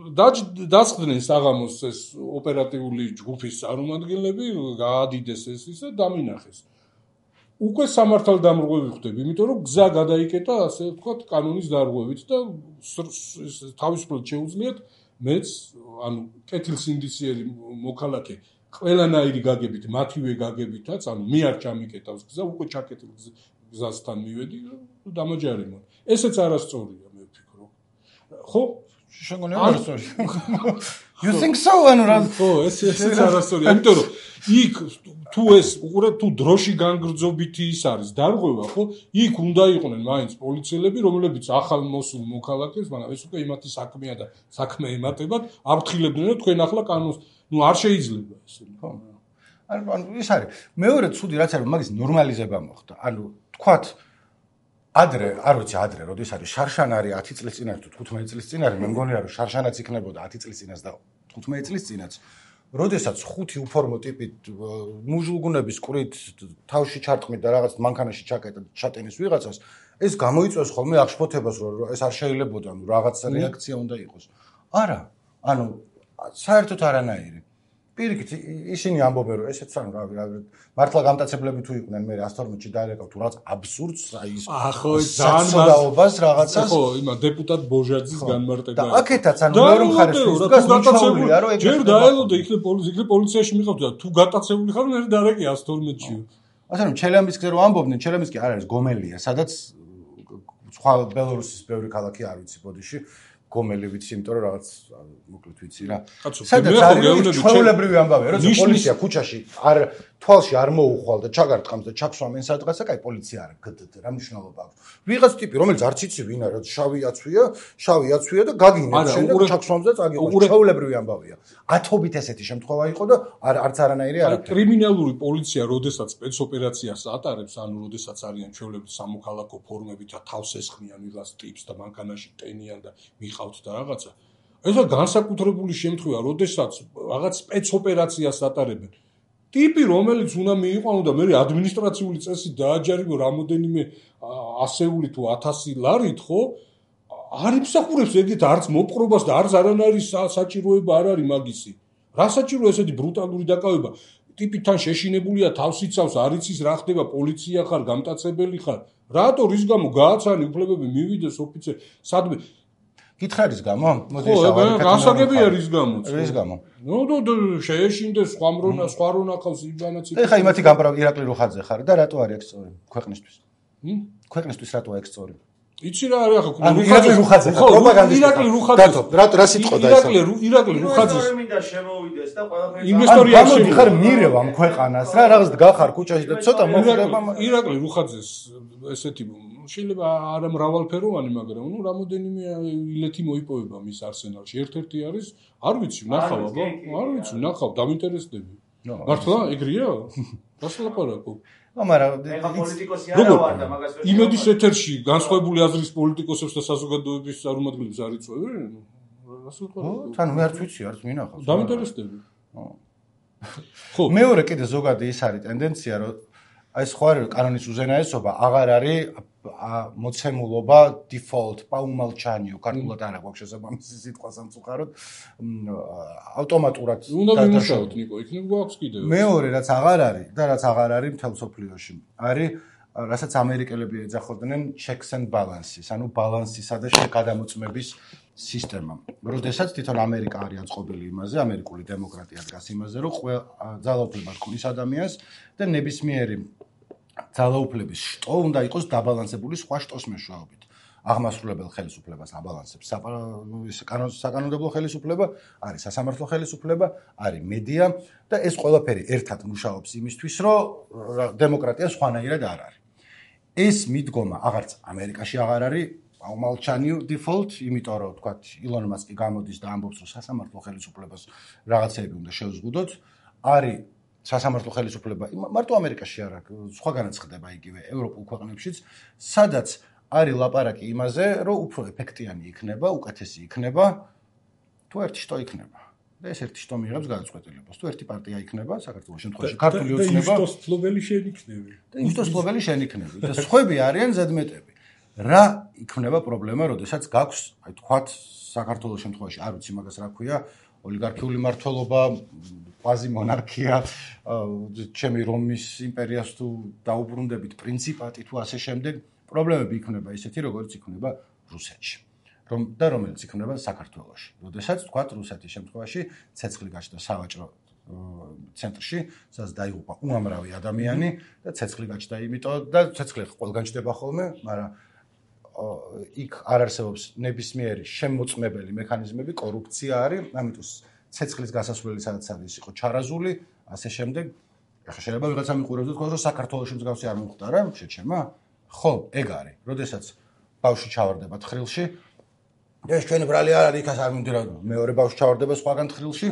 დაწყდნენ საღამოს ეს ოპერატიული ჯგუფის წარმომადგენლები, გაადიდეს ეს ისა დამინახეს. უკვე სამართალდამრღვევი ხდები, იმიტომ რომ გზა გადაიკეტა, ასე ვთქვათ, კანონის დარღვევით და თავისუფლად შეუძლიათ მეც, ანუ კეთილსინდისიერი მოქალაქე, ყველანაირი გაგებით, მათივე გაგებითაც, ანუ მე არ ჩამიკეტავს გზა, უკვე ჩაკეტილ გზასთან მივედი და დამაჯარიმონ. ესეც არასწორია, მე ვფიქრობ. ხო? შეგონია არასწორი. You think so? ანუ რა? ხო, ესეც არასწორია, იმიტომ რომ იქ თუ ეს უყურე თუ დროში განგრძობითი ის არის დარღვევა, ხო? იქ უნდა იყვნენ მაინც პოლიციელები, რომლებიც ახალ მოსულ მოქალაქეს, მაგრამ ეს უკვე იმათი საქმეა და საქმე ემატებათ, აფრთხილებდნენ რომ თქვენ ახლა კანონს, არ შეიძლება ესე. ხო. ანუ ის არის. მეორე ცუდი რაც არის, მაგის ნორმალიზება მოხდა. ანუ თქვათ ადრე, არ ვიცი ადრე, როდის არის შარშან არის 10 წლის წინ არის თუ 15 წლის წინ არის, მე მგონია რომ შარშანაც იქნებოდა 10 წლის წინაც და 15 წლის წინაც. როდესაც 5 უფორმო ტიპით მუჟულგუნების ყრით თავში ჩარტყმით და რაღაც მანქანაში ჩაკეტა ჩატენის ვიღაცას, ეს გამოიწვევს ხოლმე აღშფოთებას, რომ ეს არ შეიძლებოდა, ნუ რაღაც რეაქცია უნდა იყოს. არა, ანუ საერთოდ არანაირი. პირიქით ისინი ამბობენ რომ ესეც ანუ რა მართლა გამტაცებლები თუ იყვნენ მე 112-ში დაერეკავ თუ რაღაც აბსურდს აი ის ხო ძალიან რაღაცას ხო იმა დეპუტატ ბოჟაძის განმარტება და აქეთაც ანუ მეორე მხარეს ის გასაგებია რომ ეგ ჯერ დაელოდა იქნებ პოლიციაში მიყავდა და თუ გატაცებული ხარ მე დარეკი 112-ში ასე რომ ჩელამისკზე რომ ამბობდნენ ჩელამისკი არ არის გომელია სადაც სხვა ბელორუსის ბევრი ქალაქი არ ვიცი ბოდიში გომელი ვიცი, იმიტომ რომ რაღაც მოკლედ ვიცი რა. სადაც არის ჩვეულებრივი ამბავია, რომ პოლიცია ქუჩაში არ თვალში არ მოუხვალ და ჩაგარტყამს და ჩაქსვამენ სადღაცა, კაი პოლიცია არა, გდდ რა მნიშვნელობა აქვს. ვიღაც ტიპი, რომელიც არც იცი ვინ არის, შავი აცვია და გაგინებს შენ და ჩაქსვამს და წაგიყავს. ჩვეულებრივი ამბავია. ათობით ესეთი შემთხვევა იყო და არც არანაირი არა. კრიმინალური პოლიცია, როდესაც სპეცოპერაციას ატარებს, ანუ როდესაც არიან ჩვეულებრივი სამოქალაქო ფორმებით და თავს ესხმიან ვიღაც ტიპს და მანქანაში ტენიან და მიყავთ და რაღაცა. ესა განსაკუთრებული შემთხვევა, როდესაც რაღაც სპეცოპერაციას ატარებენ. ტიპი, რომელიც უნდა მიიყვანო და მე ადმინისტრაციული წესით დააჯარიმო რამოდენიმე ასეული თუ 1000 ლარით, ხო? არ იმსახურებს ეგეთ არც მოპყრობას და არც არანაირი საჭიროება არ არის მაგისი. რა საჭირო ესეთი ბრუტალური დაკავება? ტიპი თან შეშინებულია, თავს იცავს, არ იცის რა ხდება, პოლიცია ხარ, გამტაცებელი ხარ. რატო რის გამო გააცანი უფლებები მივიდეს ოფიცერ? სადმე გითხარის გამო? მოდი გასაგებია რის გამოც. რის გამო? ნუ შეეშინდეს სხვა რონა ყავს იბანაც. ეხა იმათი გამპრავ ირაკლი რუხაძე ხარ და რატო არის ეგ სწორი ქვეყნისთვის? ქვეყნისთვის რატო ეგ სწორი? იცი რა არის ახლა ირაკლი რუხაძე ხარ პროპაგანდისტი. ირაკლი რუხაძე. რა სიტყვა და ეს? ირაკლი რუხაძე. ინვესტორი მინდა შემოვიდეს და ყველაფერი. ინვესტორი არ შემოვიდეს. ხარ მირევ ამ ქვეყანას რა რაღაც გახარ ქუჩაში და ცოტა მოხდება. ირაკლი რუხაძეს ესეთი შეიძლება არა მრავალფეროვანი, მაგრამ ნუ რამოდენიმე ილეთი მოიპოვება მის არსენალში. ერთ-ერთი არის, არ ვიცი, ნახავ აბა, არ ვიცი, ნახავ, დამინტერესდები. მართლა ეგრეა? გასლაპარაკო. მაგრამ ეხა პოლიტიკოსი არა ვარ და მაგას ვერ იმედის ეთერში განსხვავებული აზრის პოლიტიკოსებს და საზოგადოების წარმომადგენლებს არ იწვევენ? თან მე არც ვიცი, არც მინახავს. დამინტერესდები. ხო, მეორე კიდე ზოგადი ის არის ტენდენცია, რომ აი სხვა კანონის უზენაესობა აღარ არის მოცემულობა default პაუმალჩანიო ქართულად არ აქვს შესაბამისი სიტყვა სამწუხაროდ ავტომატურად უნდა ვიმუშაოთ ნიკო იქნებ გვაქვს კიდევ მეორე რაც აღარ არის და რაც აღარ არის მთელ სოფლიოში არის რასაც ამერიკელები ეძახოდნენ checks and balances ანუ ბალანსისა და გადამოწმების სისტემა. როდესაც თვითონ ამერიკა არის აწყობილი იმაზე, ამერიკული დემოკრატია დგას იმაზე, რომ ძალაუფლება ჰქონდეს ადამიანს და ნებისმიერი ძალაუფლების შტო უნდა იყოს დაბალანსებული სხვა შტოს მეშვეობით. აღმასრულებელ ხელისუფლებას აბალანსებს საკანონმდებლო ხელისუფლება, არის სასამართლო ხელისუფლება, არის მედია და ეს ყველაფერი ერთად მუშაობს იმისთვის, რომ დემოკრატია სხვანაირად არ არის. ეს მიდგომა აღარც ამერიკაში აღარ არის აუმალჩანი დიფოლტ, იმიტომ რომ თქვა ილონ მასკი გამოდის და ამბობს, რომ სასამართლო ხელისუფლებას რაღაცები უნდა შევზღუდოთ, არის სასამართლო ხელისუფლება მარტო ამერიკაში არა, სხვაგანაც ხდება იგივე ევროპულ ქვეყნებშიც, სადაც არის ლაპარაკი იმაზე, რომ უფრო ეფექტიანი იქნება, უკეთესი იქნება, თუ ერთი შტო იქნება. და ეს ერთი შტო მიიღებს გადაწყვეტილებას. თუ ერთი პარტია იქნება, საქართველოს შემთხვევაში ქართული ოცნება და ის ფლობელი შენ იქნები. და ის ფლობელი შენ იქნები. და სხვები არიან ზედმეტები. რა იქნება პრობლემა, როდესაც გაქვს, აი თქვათ, საქართველოს შემთხვევაში არ ვიცი მაგას რა ქვია, ოლიგარქიული მმართველობა, კვაზი მონარქია, ჩემი რომის იმპერიას თუ დაუბრუნდებით პრინციპატი თუ ასე შემდეგ, პრობლემები იქნება ისეთი, როგორც იქნება რუსეთში. და რომელიც იქნება საქართველოში. როდესაც თქვათ რუსეთის შემთხვევაში ცეცხლი გაჩნდა სავაჭრო ცენტრში, სადაც დაიღუპა უამრავი ადამიანი და ცეცხლი გაჩნდა იმიტომ და ცეცხლი ყველგან ჩდება ხოლმე, მაგრამ იქ არ არსებობს ნებისმიერი შემოწმებელი მექანიზმები, კორუფცია არის, ამიტომ ცეცხლის გასასვლელი სადაც არის იყო ჩარაზული, ასე შემდეგ. ახლა შეიძლება ვიღაცა მიყურებს და თქვას, რომ საქართველოში მსგავსი არ მოხდა რა, შეჩემა? ხო, ეგ არის. როდესაც ბავშვი ჩავარდება თხრილში, ეს ჩვენი ბრალი არ არის, იქაც არ მინდა მეორე ბავშვი ჩავარდება სხვაგან თხრილში,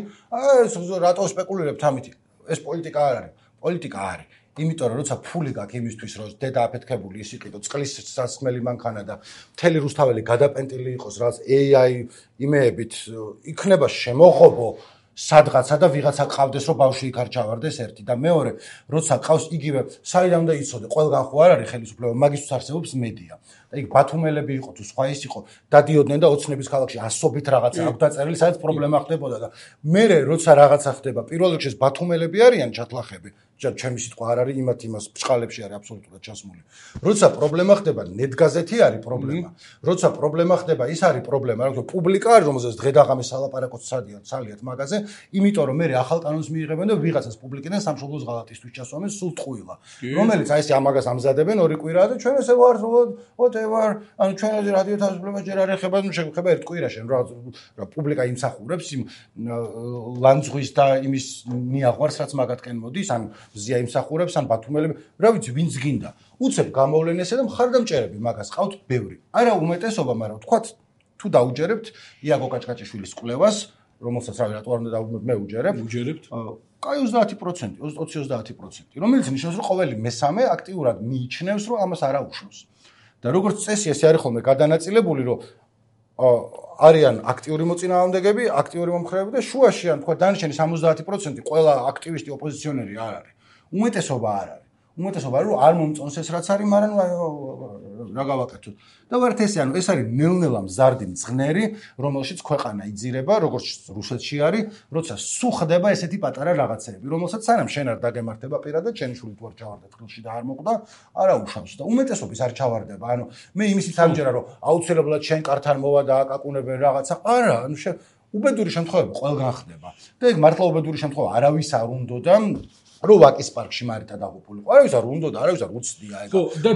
ეს რატო სპეკულირებთ ამით? ეს პოლიტიკა არ არის. პოლიტიკა არის. იმიტომ რომ როცა ფული გაქვს იმისთვის, რომ დედა აფეთქებული ის იყიდო, წყლის სასმელი მანქანა და მთელი რუსთაველი გადაპენტილი იყოს, რაც AI იმეებით იქნება შემოღობო სადღაცა და ვიღაცა ყავდეს, რომ ბავშვი იქ არ ჩავარდეს ერთი და მეორე, როცა ყავს იგივე, საიდან უნდა იცოდე, ყველგან ხო არ არის ხელისუფლება, მაგისთვის არსებობს მედია. და იქ ბათუმელები იყო თუ სხვა ის იყო, დადიოდნენ და ოცნების ქალაქში ასობით რაღაცა აქვს დაწერილი, სადაც პრობლემა ხდებოდა და მერე როცა რაღაცა ხდება, პირველ რიგში ბათუმელები არიან ჩათლახები, ჩემი სიტყვა არ არის იმას ბჭყალებში არის აბსოლუტურად ჩასმული. როცა პრობლემა ხდება, ნეტგაზეთი არის პრობლემა. როცა პრობლემა ხდება, ის არის პრობლემა, რა თქმა უნდა, პუბლიკა არის, რომელზეც დღე-დაღამე სალაპარაკოც სალიათ მაგაზე, იმიტომ რომ მე ახალ კანონს მიიღებენ და ვიღაცას პუბლიკიდან სამშობლოს ღალატისთვის ჩასვამენ სულ ტყუილა. რომელიც აი ეს ამაგას ამზადებენ ორი კვირაა და ჩვენ ესე ვარ whatever, ანუ ჩვენაზე რადიო თავისუფლება ჯერ არ ეხება, ნუ შეგვეხება ერთ კვირაში, რა პუბლიკა იმსახურებს იმ ლანძღვის და იმის მიაყვარს, რაც მაგათკენ მოდის, ან ზია იმსახურებს, ან ბათუმელები, რა ვიცი, ვინც გინდა. უცებ გამოვლენ ესე და მხარდამჭერები მაგას ყავთ ბევრი. არა უმეტესობა, მაგრამ თქვათ, თუ დაუჯერებთ იაგო კაჭკაჭიშვილის კვლევას, რომელსაც რავი რატო არ უნდა დავუმებ მე უჯერებთ. კაი 30%, 20-30%, რომელიც ნიშნავს, რომ ყოველი მესამე აქტიურად მიიჩნევს, რომ ამას არ აუშავს. და როგორც წესი, ეს არის ხოლმე გადანაწილებული, რომ არიან აქტიური მოწინააღმდეგეები, აქტიური მომხრეები და შუაში ან თქვა დანარჩენი 70% ყველა აქტივისტი ოპოზიციონერი არ არის. უმეტესობა არ არის. უმეტესობა არის, რომ არ მომწონს ეს რაც არის, მაგრამ რა გავაკეთოთ. და ვართ ესე, ანუ ეს არის ნელ-ნელა მზარდი მძღნერი, რომელშიც ქვეყანა იძირება, როგორც რუსეთში არის, როცა სულ ხდება ესეთი პატარა რაღაცები, რომელსაც სანამ შენ არ დაგემართება პირადად, შენი შვილი თუ არ ჩავარდა თხრილში და არ მოკვდა, არ აუშავს და უმეტესობის არ ჩავარდება. ანუ მე იმისით ამჯერა, რომ აუცილებლად შენ კართან მოვა და აკაკუნებენ რაღაცა. არა, ანუ უბედური შემთხვევები ყველგან ხდება. და ეგ მართლა უბედური შემთხვევა არავის არ უნდოდა რომ ვაკის პარკში მარითა დაღუპულიყო. არავის არ უნდა და არავის არ უცდია ეგ.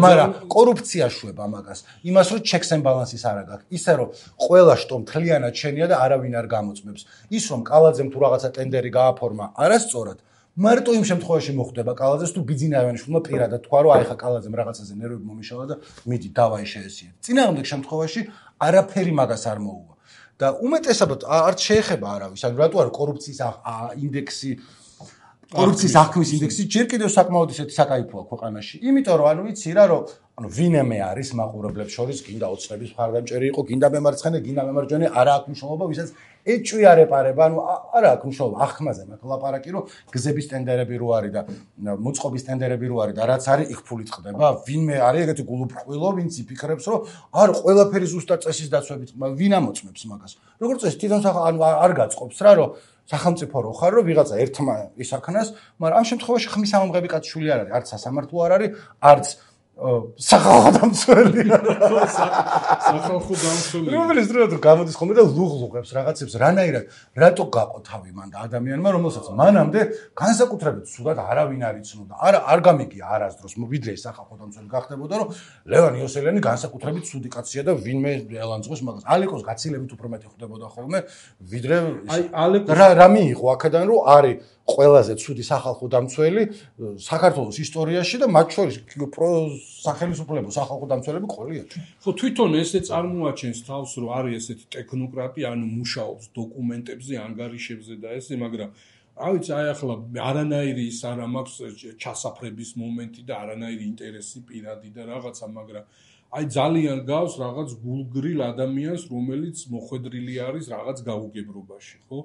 მაგრამ კორუფცია შვება მაგას. იმას რომ checks and balances არ აქვს. ისე რომ ყველა შტო მთლიანად შენია და არავინ არ გამოწმებს. ის რომ კალაძემ თუ რაღაცა ტენდერი გააფორმა, არასწორად. მარტო იმ შემთხვევაში მოხდება კალაძეს თუ ბიძინაევანიშვილმა პირადად თქვა რომ აი ხა კალაძემ რაღაცაზე ნერვები მომიშალა და მიდი დავაი შეესიეთ. წინააღმდეგ შემთხვევაში არაფერი მაგას არ მოუვა. და უმეტესად არც შეეხება არავის. ანუ რატო არის კორუფციის ინდექსი კორუფციის აღქმის ინდექსი ჯერ კიდევ საკმაოდ ისეთი საკაიფოა ქვეყანაში. იმიტომ რომ ანუ ვიცი რა რომ ანუ ვინმე არის მაყურებლებს შორის გინდა ოცნების მხარდამჭერი იყო, გინდა მემარცხენე, გინდა მემარჯვენე, არა აქვს მნიშვნელობა, ვისაც ეჭვი არ ეპარება, ანუ არა აქვს მნიშვნელობა აღქმაზე მაგ ლაპარაკი რომ გზების ტენდერები რო არის და მოწყობის ტენდერები რო არის და რაც არის იქ ფულით ხდება. ვინმე არის ეგეთი გულუბრყვილო, ვინც იფიქრებს რომ არ ყველაფერი ზუსტად წესის დაცვებით, ვინ ამოწმებს მაგას. როგორც წესი თვითონ ანუ არ გაწყობს რა რომ სახელმწიფო რო ხარ რომ ვიღაცა ერთმა ისაქნას, მაგრამ ამ შემთხვევაში ხმის ამომღები კაცშვილი არ არის, არც სასამართლო არ არის, არც სახალხო დამცველი. სახალხო დამცველი. რომელიც დროებით გამოდის ხოლმე და ლუღლუღებს რაღაცებს, რანაირად, რატო გაყო თავი მან და ადამიანმა, რომელსაც მანამდე განსაკუთრებით სულად არავინ არ იცნობდა. არ გამიგია არასდროს, ვიდრე სახალხო დამცველი გახდებოდა, რომ ლევან იოსელიანი განსაკუთრებით ცუდი კაცია და ვინმე ელანძღოს მაგას. ალეკოს გაცილებით უფრო მეტი ხდებოდა ხოლმე, ვიდრე რა მიიღო აქედან, რომ არის ყველაზე ცუდი სახალხო დამცველი საქართველოს ისტორიაში და მათ შორის სახელმწიფო სახალხო დამცველები ყოლია. ხო, თვითონ ესე წარმოაჩენს თავს, რომ არის ესეთი ტექნოკრატი, ანუ მუშაობს დოკუმენტებზე, ანგარიშებზე და ესე, მაგრამ რა ვიცი, აი ახლა არანაირი ის არ მაქვს ჩასაფრების მომენტი და არანაირი ინტერესი პირადი და რაღაცა, მაგრამ აი ძალიან გავს რაღაც გულგრილ ადამიანს, რომელიც მოხვედრილი არის რაღაც გაუგებრობაში, ხო?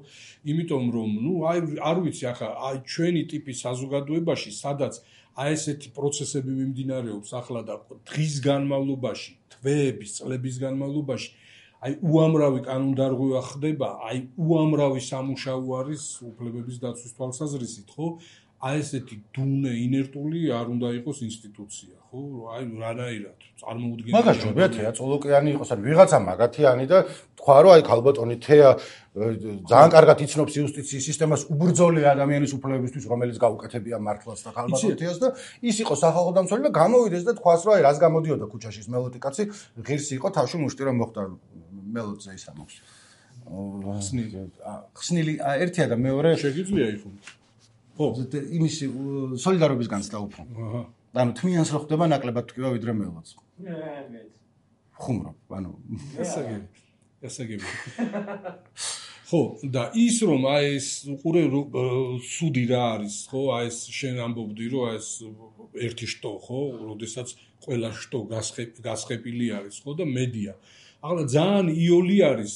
იმიტომ რომ, აი არ ვიცი, ახლა აი ჩვენი ტიპის საზოგადოებაში, სადაც აი ესეთი პროცესები მიმდინარეობს ახლა და დღის განმავლობაში, თვეების, წლების განმავლობაში, აი უამრავი კანონდარღვევა ხდება, აი უამრავი სამუშაო არის უფლებების დაცვის თვალსაზრისით, ხო? აი ესეთი დუნე ინერტული არ უნდა იყოს ინსტიტუცია, ხო? აი რანაირად წარმოუდგენელი. მაგას ჯობია თეა წოლოკიანი იყოს, ან ვიღაცა მაგათიანი და თქვა რომ აი ქალბატონი თეა ძალიან კარგად იცნობს იუსტიციის სისტემას უბრძოლე ადამიანის უფლებებისთვის, რომელიც გაუკეთებია მართლაც და ქალბატონ თეას და ის იყო სახალხო დამცველი და გამოვიდეს და თქვას რომ აი რას გამოდიოდა ქუჩაში ის მელოდი კაცი, ღირსი იყო თავში მუშტი რომ მოხდა მელოდზე ისა მოხს. ხსნილი ერთია და მეორე შეგიძლია იხო. ხო, იმის სოლიდარობის განცდა უფრო. აჰა. ანუ თმიანს რო ხდება ნაკლებად თქვა ვიდრე მელოდს. ხუმრობ, ანუ ესაგები. ხო, და ის რომ აი ეს უყურე სუდი რა არის, ხო? აი ეს შენ ამბობდი რომ აი ეს ერთი შტო, ხო? როდესაც ყველა შტო გასხეპილი არის, ხო? და მედია. ახლა ძალიან იოლი არის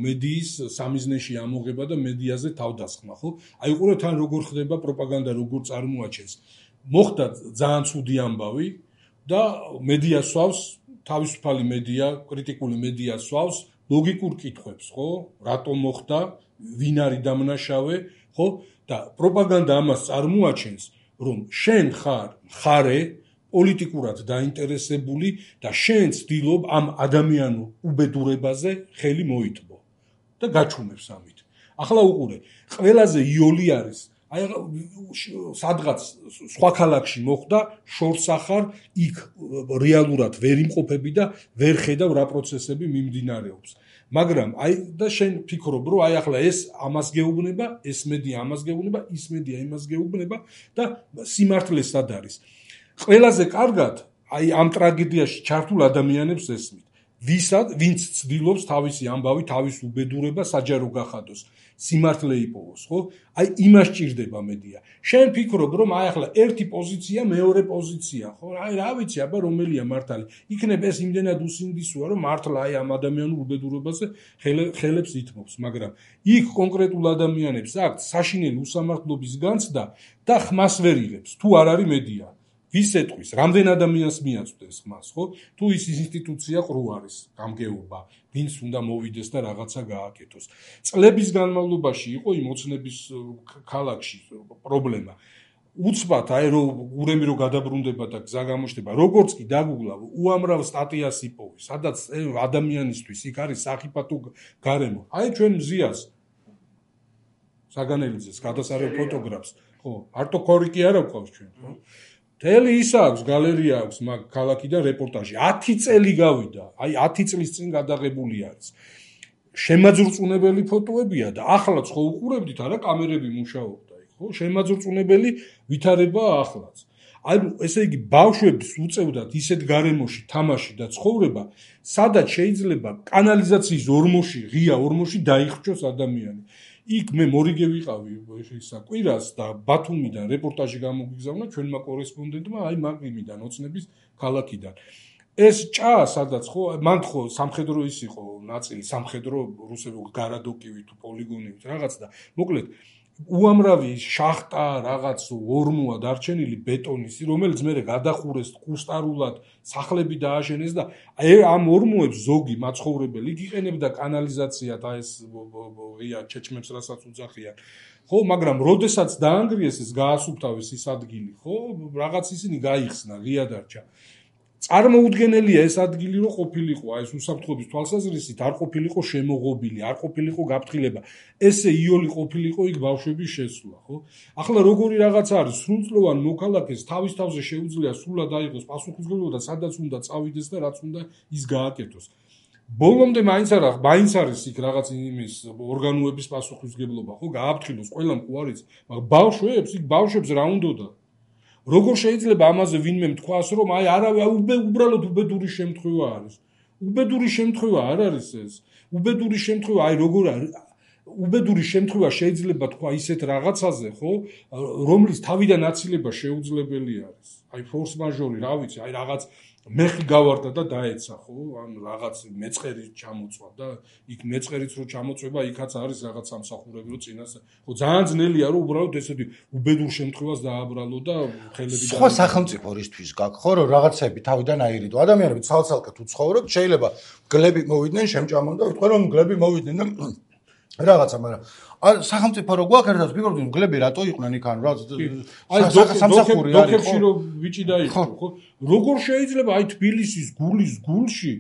მედიის სამიზნეში ამოღება და მედიაზე თავდასხმა, ხო? აი უყურე თან როგორ ხდება პროპაგანდა, როგორ წარმოაჩენს. მოხდა ძალიან ცუდი ამბავი და მედია სვავს, თავისუფალი მედია, კრიტიკული მედია სვავს ლოგიკურ კითხვებს, ხო? რატომ მოხდა, ვინ არის დამნაშავე, ხო? და პროპაგანდა ამას წარმოაჩენს, რომ შენ ხარ მხარე პოლიტიკურად დაინტერესებული და შენ ცდილობ ამ ადამიანურ უბედურებაზე ხელი მოიტბო და გაჩუმებს ამით. ახლა უყურე, ყველაზე იოლი არის აი სადღაც სხვა ქალაქში მოხდა შორსახარ იქ რეალურად ვერ იმყოფები და ვერ ხედავ რა პროცესები მიმდინარეობს. მაგრამ აი და შენ ფიქრობ რომ აი ახლა ეს ამას გეუბნება, ეს მედია ამას გეუბნება, ის მედია იმას გეუბნება და სიმართლე სად არის. ყველაზე კარგად აი ამ ტრაგედიაში ჩართულ ადამიანებს ესმით. ვინც ცდილობს თავისი ამბავი, თავის უბედურება საჯარო გახადოს, სიმართლე იპოვოს, ხო? აი იმას ჭირდება მედია. შენ ფიქრობ რომ აი ახლა ერთი პოზიცია, მეორე პოზიცია, ხო? აი რა ვიცი, აბა რომელია მართალი. იქნებ ეს იმდენად უსინდისოა, რომ მართლა აი ამ ადამიანურ უბედურებაზე ხელებს ითმობს, მაგრამ იქ კონკრეტულ ადამიანებს აქვთ საშინელი უსამართლობის განცდა და ხმას ვერ იღებს, თუ არ არის მედია. ვის ეტყვის, რამდენ ადამიანს მიაწვდეს ხმას, ხო? თუ ის ინსტიტუცია ყრუ არის, გამგეობა, ვინც უნდა მოვიდეს და რაღაცა გააკეთოს. წლების განმავლობაში იყო იმ ოცნების ქალაქში პრობლემა. უცბად აი რომ გურემი რო გადაბრუნდება და გზა გამოჩნდება, როგორც კი დაგუგლა, უამრავ სტატიას იპოვე, სადაც ადამიანისთვის იქ არის სახიფათო გარემო. აი ჩვენ მზიას საგანელიძეს გადასარევ ფოტოგრაფს, ხო, არტო ქორიკი არ აქვს ჩვენ, ხო? თელი ის აქვს, გალერეა აქვს მაგ ქალაქიდან რეპორტაჟი. 10 წელი გავიდა, აი 10 წლის წინ გადაღებული არის. შემაძრწუნებელი ფოტოებია და ახლაც ხო უყურებდით, არა კამერები მუშაობდა იქ, ხო? შემაძრწუნებელი ვითარებაა ახლაც. აი ესე იგი ბავშვებს უწევდათ ისეთ გარემოში თამაში და ცხოვრება, სადაც შეიძლება კანალიზაციის ორმოში, ღია ორმოში დაიხრჩოს ადამიანი. იქ მე მორიგე ვიყავი ისა კვირას და ბათუმიდან რეპორტაჟი გამოგიგზავნა ჩვენმა კორესპონდენტმა აი მაგიმიდან ოცნების ქალაქიდან. ეს ჭა სადაც ხო მან ხო სამხედრო ის იყო ნაწილი სამხედრო რუსები გარადოკივი თუ პოლიგონივით რაღაც და მოკლედ უამრავი შახტა რაღაც ორმოა დარჩენილი ბეტონის რომელიც მე გადახურეს კუსტარულად სახლები დააშენეს და ამ ორმოებს ზოგი მაცხოვრებელი იყენებდა კანალიზაციად აი ეს ღია ჩეჩმებს რასაც უძახიან ხო მაგრამ როდესაც დაანგრიეს ეს გაასუფთავეს ის ადგილი ხო რაღაც ისინი გაიხსნა ღია დარჩა წარმოუდგენელია ეს ადგილი რომ ყოფილიყო, აი ეს უსაფრთხოების თვალსაზრისით არ ყოფილიყო შემოღობილი, არ ყოფილიყო გაფრთხილება. ესე იოლი ყოფილიყო იქ ბავშვების შესვლა, ხო? ახლა როგორი რაღაც არის, სრულწლოვან მოქალაქეს თავის თავზე შეუძლია სრულად აიღოს პასუხისმგებლობა და სადაც უნდა წავიდეს და რაც უნდა ის გააკეთოს. ბოლომდე მაინც არის იქ რაღაც იმის ორგანოების პასუხისმგებლობა, ხო? გააფრთხილოს ყველამ ხო არის, მაგრამ ბავშვებს რა უნდოდა? როგორ შეიძლება ამაზე ვინმე თქვას, რომ აი უბრალოდ უბედური შემთხვევა არის. უბედური შემთხვევა არ არის ეს. უბედური შემთხვევა, აი როგორ არის? უბედური შემთხვევა შეიძლება თქვა ისეთ რაღაცაზე, ხო, რომლის თავიდან აცილება შეუძლებელი არის. აი ფორს მაჟორი, რა ვიცი, აი რაღაც მეხი გავარდა და დაეცა, ხო? ან რაღაც მეწყერი ჩამოწვა და იქ მეწყერიც რო ჩამოწვება, იქაც არის რაღაც სამსახურები რო წინას. ხო, ძალიან ძნელია რომ უბრალოდ ესეთი უბედურ შემთხვევას დააბრალო და ხელები სხვა სახელმწიფო რისთვის გაქვს, ხო, რომ რაღაცები თავიდან აირიდო. ადამიანები ცალ-ცალკე თუ ცხოვრობ, შეიძლება გლები მოვიდნენ, შემჭამონ და ვიტყვი რომ გლები მოვიდნენ და რაღაცა, მაგრამ სახელმწიფო რო გვაქვს ერთად ვფიქრობთ, გლები რატო იყვნენ იქ ან რა სამსახური არის, დოქებში რო ბიჭი დაიხო, ხო? როგორ შეიძლება აი თბილისის გულის გულში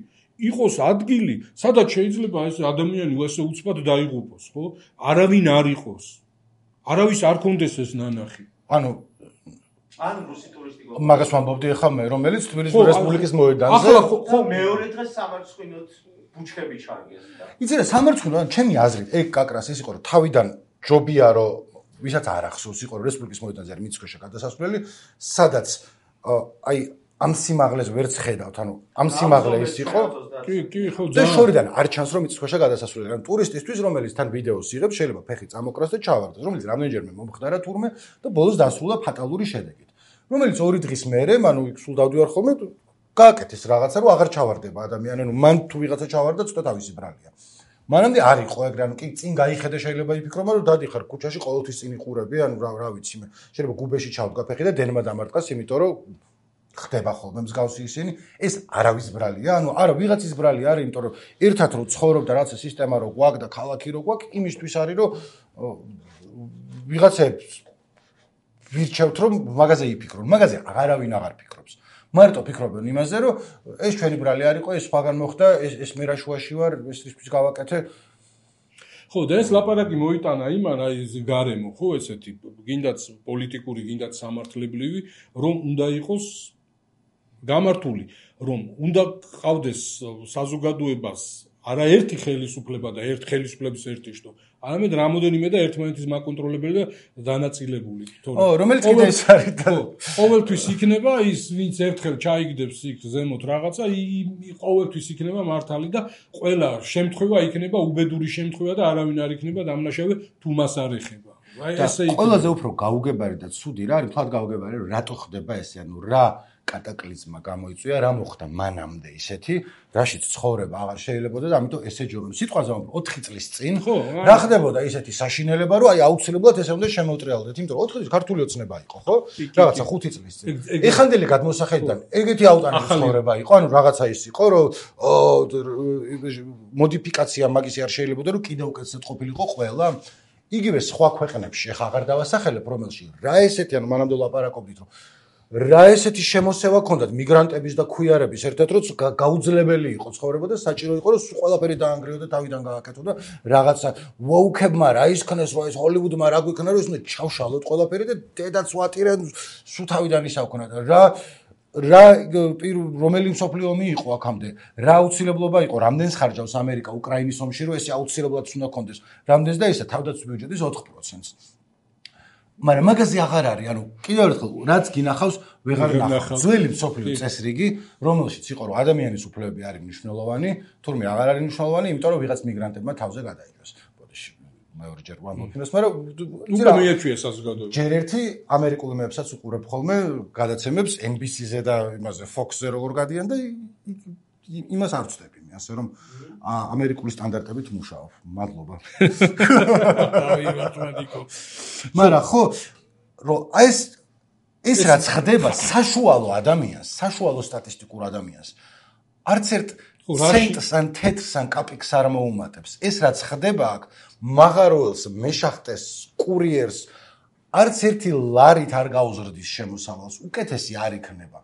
იყოს ადგილი, სადაც შეიძლება ეს ადამიანი ესე უცბად დაიღუპოს, ხო? არავინ არ იყოს. არავის არ კონდეს ეს ნანახი. ანუ რუსი ტურისტიკო. მაგას ვამბობდი ახლა მე, რომელიც თბილისის რესპუბლიკის მოედანზე. ახლა ხო მეორე დღეს სამარცხვინოთ ბუჩქები ჩარგეს და. იცი რა, სამარცხვინო, ჩემი აზრით, ეგ კაკრას ის იყო, რომ თავიდან ჯობია, რომ ვისაც არ ახსოვს, იყო რესპუბლიკის მოედანზე არის მიწქვეშა გადასასვლელი, სადაც აი ამ სიმაღლეს ვერც ხედავთ, ანუ ამ სიმაღლე ის იყო. კი, ხო, და შორიდან არ ჩანს რომ მიწქვეშა გადასასვლელი. ანუ ტურისტისთვის, რომელიც თან ვიდეოს იღებს, შეიძლება ფეხი წამოკრას და ჩავარდეს, რომელიც რამდენჯერმე მომხდარა თურმე და ბოლოს დასრულა ფატალური შედეგით. რომელიც 2 დღის მერე, ანუ იქ სულ დავდივარ ხოლმე, გააკეთეს რაღაცა, რომ აღარ ჩავარდება ადამიანი, ანუ მან თუ ვიღაცა ჩავარდა, ცოტა თავისი ბრალია. მანამდე არ იყო ეგრე, ანუ კი წინ გაიხედა შეიძლება იფიქრობა, რომ დადიხარ ქუჩაში ყოველთვის წინ იყურები, ანუ რა ვიცი მე. შეიძლება გუბეში ჩავდგა ფეხი და დენმა დამარტყას, იმიტომ რომ ხდება ხოლმე მსგავსი ისინი, ეს არავის ბრალია, ანუ არა ვიღაცის ბრალი არის, იმიტომ რომ ერთად რო ცხოვრობ და რაცა სისტემა რო გვაქვს და ქალაქი რო გვაქვს, იმისთვის არის რომ ვიღაცებს ვირჩევთ რომ მაგაზე იფიქრონ, მაგაზე არავინ აღარ ფიქრობს. მარტო ფიქრობენ იმაზე, რომ ეს ჩვენი ბრალი არ იყო, ეს სხვაგან მოხდა, ეს მე რა შუაში ვარ, ესთვის გავაკეთე. ხო, და ეს ლაპარაკი მოიტანა იმან, აი ეს გარემო, ხო, ესეთი, გინდაც პოლიტიკური, გინდაც სამართლებრივი, რომ უნდა იყოს გამართული, რომ უნდა ყავდეს საზოგადოებას არაერთი ხელისუფლება და ხელისუფლების ერთი შტო, არამედ რამოდენიმე და ერთმანეთის მაკონტროლებელი და დანაწილებული. რომელიც კიდე ის არის და ყოველთვის იქნება ის, ვინც ერთხელ ჩაიგდებს იქ ზემოთ რაღაცა, ყოველთვის იქნება მართალი და ყველა შემთხვევა იქნება უბედური შემთხვევა და არავინ არ იქნება დამნაშავე თუ მას არ ეხება. აი ესე იქნება. ყველაზე უფრო გაუგებარი და ცუდი რა არის, თქვა გაუგებარი, რატო ხდება ესე, ანუ რა კატაკლიზმა გამოიწვია, რა მოხდა მანამდე ისეთი, რაშიც ცხოვრება აღარ შეიძლებოდა და ამიტომ ესე ჯობია. სიტყვაზე 4 წლის წინ რა ხდებოდა ისეთი საშინელება, რომ აი აუცილებლად ესე უნდა შემოუტრიალდეთ, იმიტომ რომ 4 წლის ქართული ოცნება იყო, ხო? რაღაცა 5 წლის წინ. ეხანდელი გადმოსახედიდან ეგეთი აუტანელი ცხოვრება იყო, ანუ რაღაცა ის იყო, რომ მოდიფიკაცია მაგისი არ შეიძლებოდა, რომ კიდევ უკეთესად ყოფილიყო ყველა. იგივე სხვა ქვეყნებში ახლა აღარ დავასახელებ, რომელში რა ესეთი, ანუ მანამდე ლაპარაკობდით, რომ რა ესეთი შემოსევა ქონდათ მიგრანტების და ქუიარების ერთ-ერთ რომ გაუძლებელი იყო ცხოვრება და საჭირო იყო რომ ყველაფერი დაანგრიო და თავიდან გააკეთო და რაღაცა ვოუქებმა რა ისქნეს რა ეს ჰოლივუდმა რა გვიქნა რომ ისინი ჩავშალოთ ყველაფერი და დედაც ვატირენ სულ თავიდან ისავქნა რა რომელი მსოფლიო ომი იყო აქამდე რა აუცილებლობა იყო რამდენს ხარჯავს ამერიკა უკრაინის ომში რომ ესე აუცილებლად უნდა კონდეს რამდენს და ისა თავდაცვის ბიუჯეტის 4%-ს მაგრამ მაგაზე აღარ არის, ანუ კიდევ ერთხელ რაც გინახავს, ვეღარ ნახავ. ძველი მსოფლიო წესრიგი, რომელშიც იყო რომ ადამიანის უფლებები არის მნიშვნელოვანი, თურმე აღარ არის მნიშვნელოვანი, იმიტომ რომ ვიღაც მიგრანტებმა თავზე გადაიჭრას. ბოდიში, მეორეჯერ ვამბობ იმას, მაგრამ უკვე მიეჩვია საზოგადოება. ჯერ ერთი ამერიკული მეებსაც უყურებ ხოლმე გადაცემებს NBC-ზე და იმაზე Fox-ზე როგორ გადიან და იმას არ ვწდები მე, ასე რომ ამერიკული სტანდარტებით მუშაობ. მადლობა. აი, მათემატიკო. მაგრამ ხო, რომ ეს რაც ხდება საშუალო ადამიანს, საშუალო სტატისტიკურ ადამიანს, არც ერთ ცენტს ან თეთრს ან კაპიკს არ მოუმატებს. ეს რაც ხდება აქ, მაღაროელს, მეშახტეს, კურიერს, არც ერთი ლარით არ გაუზრდის შემოსავალს, უკეთესი არ იქნება.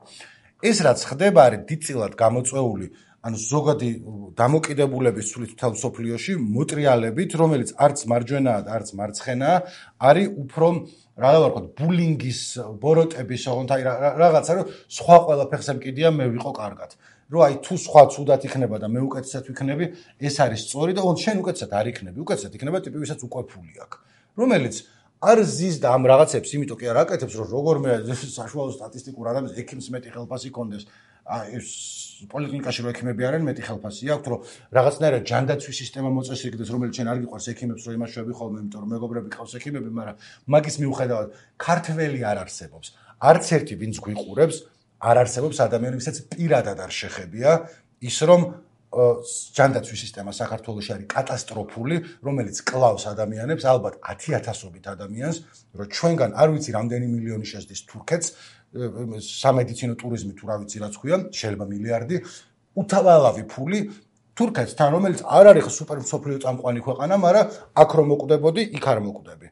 ეს რაც ხდება არის დიდწილად გამოწვეული ანუ ზოგადი დამოკიდებულების ცვლით მთელ მსოფლიოში მოტრიალებით, რომელიც არც მარჯვენაა და არც მარცხენაა, არის უფრო რა ვთქვათ, ბულინგის, ბოროტების, ოღონდ აი რაღაცა რომ სხვა ყველაფერს ემკიდია მე ვიყო კარგად. რომ აი თუ სხვა ცუდად იქნება და მე უკეთესად ვიქნები, ეს არის სწორი და ოღონდ შენ უკეთესად არ იქნები, უკეთესად იქნება ტიპი, ვისაც უყვეფული აქვს. რომელიც არ ზის და ამ რაღაცებს, იმიტომ კი არ აკეთებს, რომ როგორმე საშუალო სტატისტიკურ ადამიანს ექიმს მეტი ხელფასი კონდეს. ეს პოლიკლინიკაში რო ექიმები არიან, მეტი ხელფასი აქვს, რომ რაღაცნაირად ჯანდაცვის სისტემა მოწესრიგდეს, რომელიც შენ არ გიყვარს ექიმებს, რომ იმაშვები ხოლმე, იმიტომ რომ მეგობრები ყავს ექიმები, მაგრამ მაგის მიუხედავად ქართველი არ არსებობს. არც ერთი ვინც გვიყურებს, არ არსებობს ადამიანი, ვისაც პირადად არ შეხებია ის, რომ ჯანდაცვის სისტემა საქართველოში არის კატასტროფული, რომელიც კლავს ადამიანებს, ალბათ 10,000-ობით ადამიანს, რომ ჩვენგან არ ვიცი რამდენი მილიონი შეძდის თურქეთს, სამედიცინო ტურიზმი თუ რა ვიცი რაც ქვია, შეიძლება მილიარდი, უთავალავი ფული თურქეთთან, რომელიც არ არის სუპერ მსოფლიო წამყვანი ქვეყანა, მაგრამ აქ რომ მოკვდებოდი, იქ არ მოკვდები.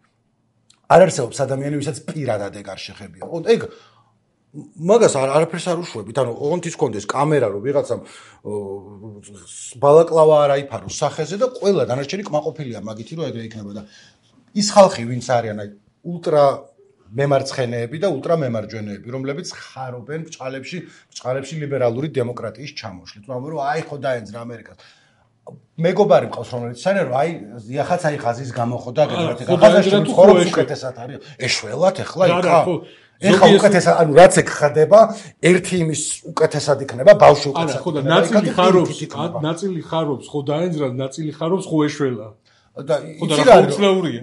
არ არსებობს ადამიანი, ვისაც პირადად ეგ არ შეხებია. ეგ მაგას არაფერს არ უშვებით, ანუ ოღონდ ის კონდეს კამერა, რომ ვიღაცამ ბალაკლავა არ აიფაროს სახეზე და ყველა დანარჩენი კმაყოფილია მაგითი, რომ ეგრე იქნება და ის ხალხი, ვინც არიან აი ულტრა მემარცხენეები და ულტრა მემარჯვენეები, რომლებიც ხარობენ ბჭყალებში ლიბერალური დემოკრატიის ჩამოშლით. რომ აი ხო დაენძრა ამერიკას. მეგობარი მყავს, რომელიც სანერ აი იახაც აი ღაზის გამოხოდა გეგმით. ღაზაში ცხოვრობს უკეთესად არის. ეშველათ ეხლა იქა. ეხლა უკეთესად, ანუ რაც ეგ ხდება, ერთი იმის უკეთესად იქნება, ბავშვი უკეთესად. ხო და ნაწილი ხარობს, ხო დაენძრა, ნაწილი ხარობს, ხო ეშველა. და იცი რა უცნაურია.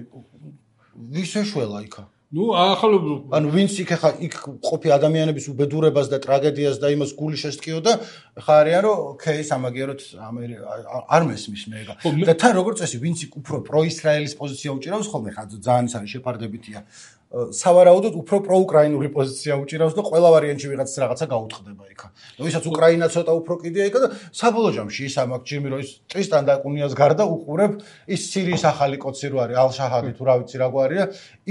ვის ეშველა იქა? ნუ ახლა ანუ ვინც იქ ხა იქ ყოფი ადამიანების უბედურებას და ტრაგედიას და იმას გული შესტკიოდა, ხა არიან რომ ოკეი, სამაგიეროდ არ მესმის მე ეგა. და თან როგორც წესი, ვინც იქ უფრო პროისრაელის პოზიცია უჭირავს ხოლმე, ხა ძალიან ის არის შეფარდებითია. სავარაუდოდ უფრო პროუკრაინული პოზიცია უჭირავს და ყველა ვარიანტში ვიღაც რაღაცა გაუთხდება იქა. და ვისაც უკრაინა ცოტა უფრო კიდია იქა და საბოლოო ჯამში ის ამაკ ჯიმი რო ის ტრისტან და კუნიას გარდა უყურებ ის სირიის ახალი კოცი რო არის ალ-შაჰადი თუ რა ვიცი რა გვარია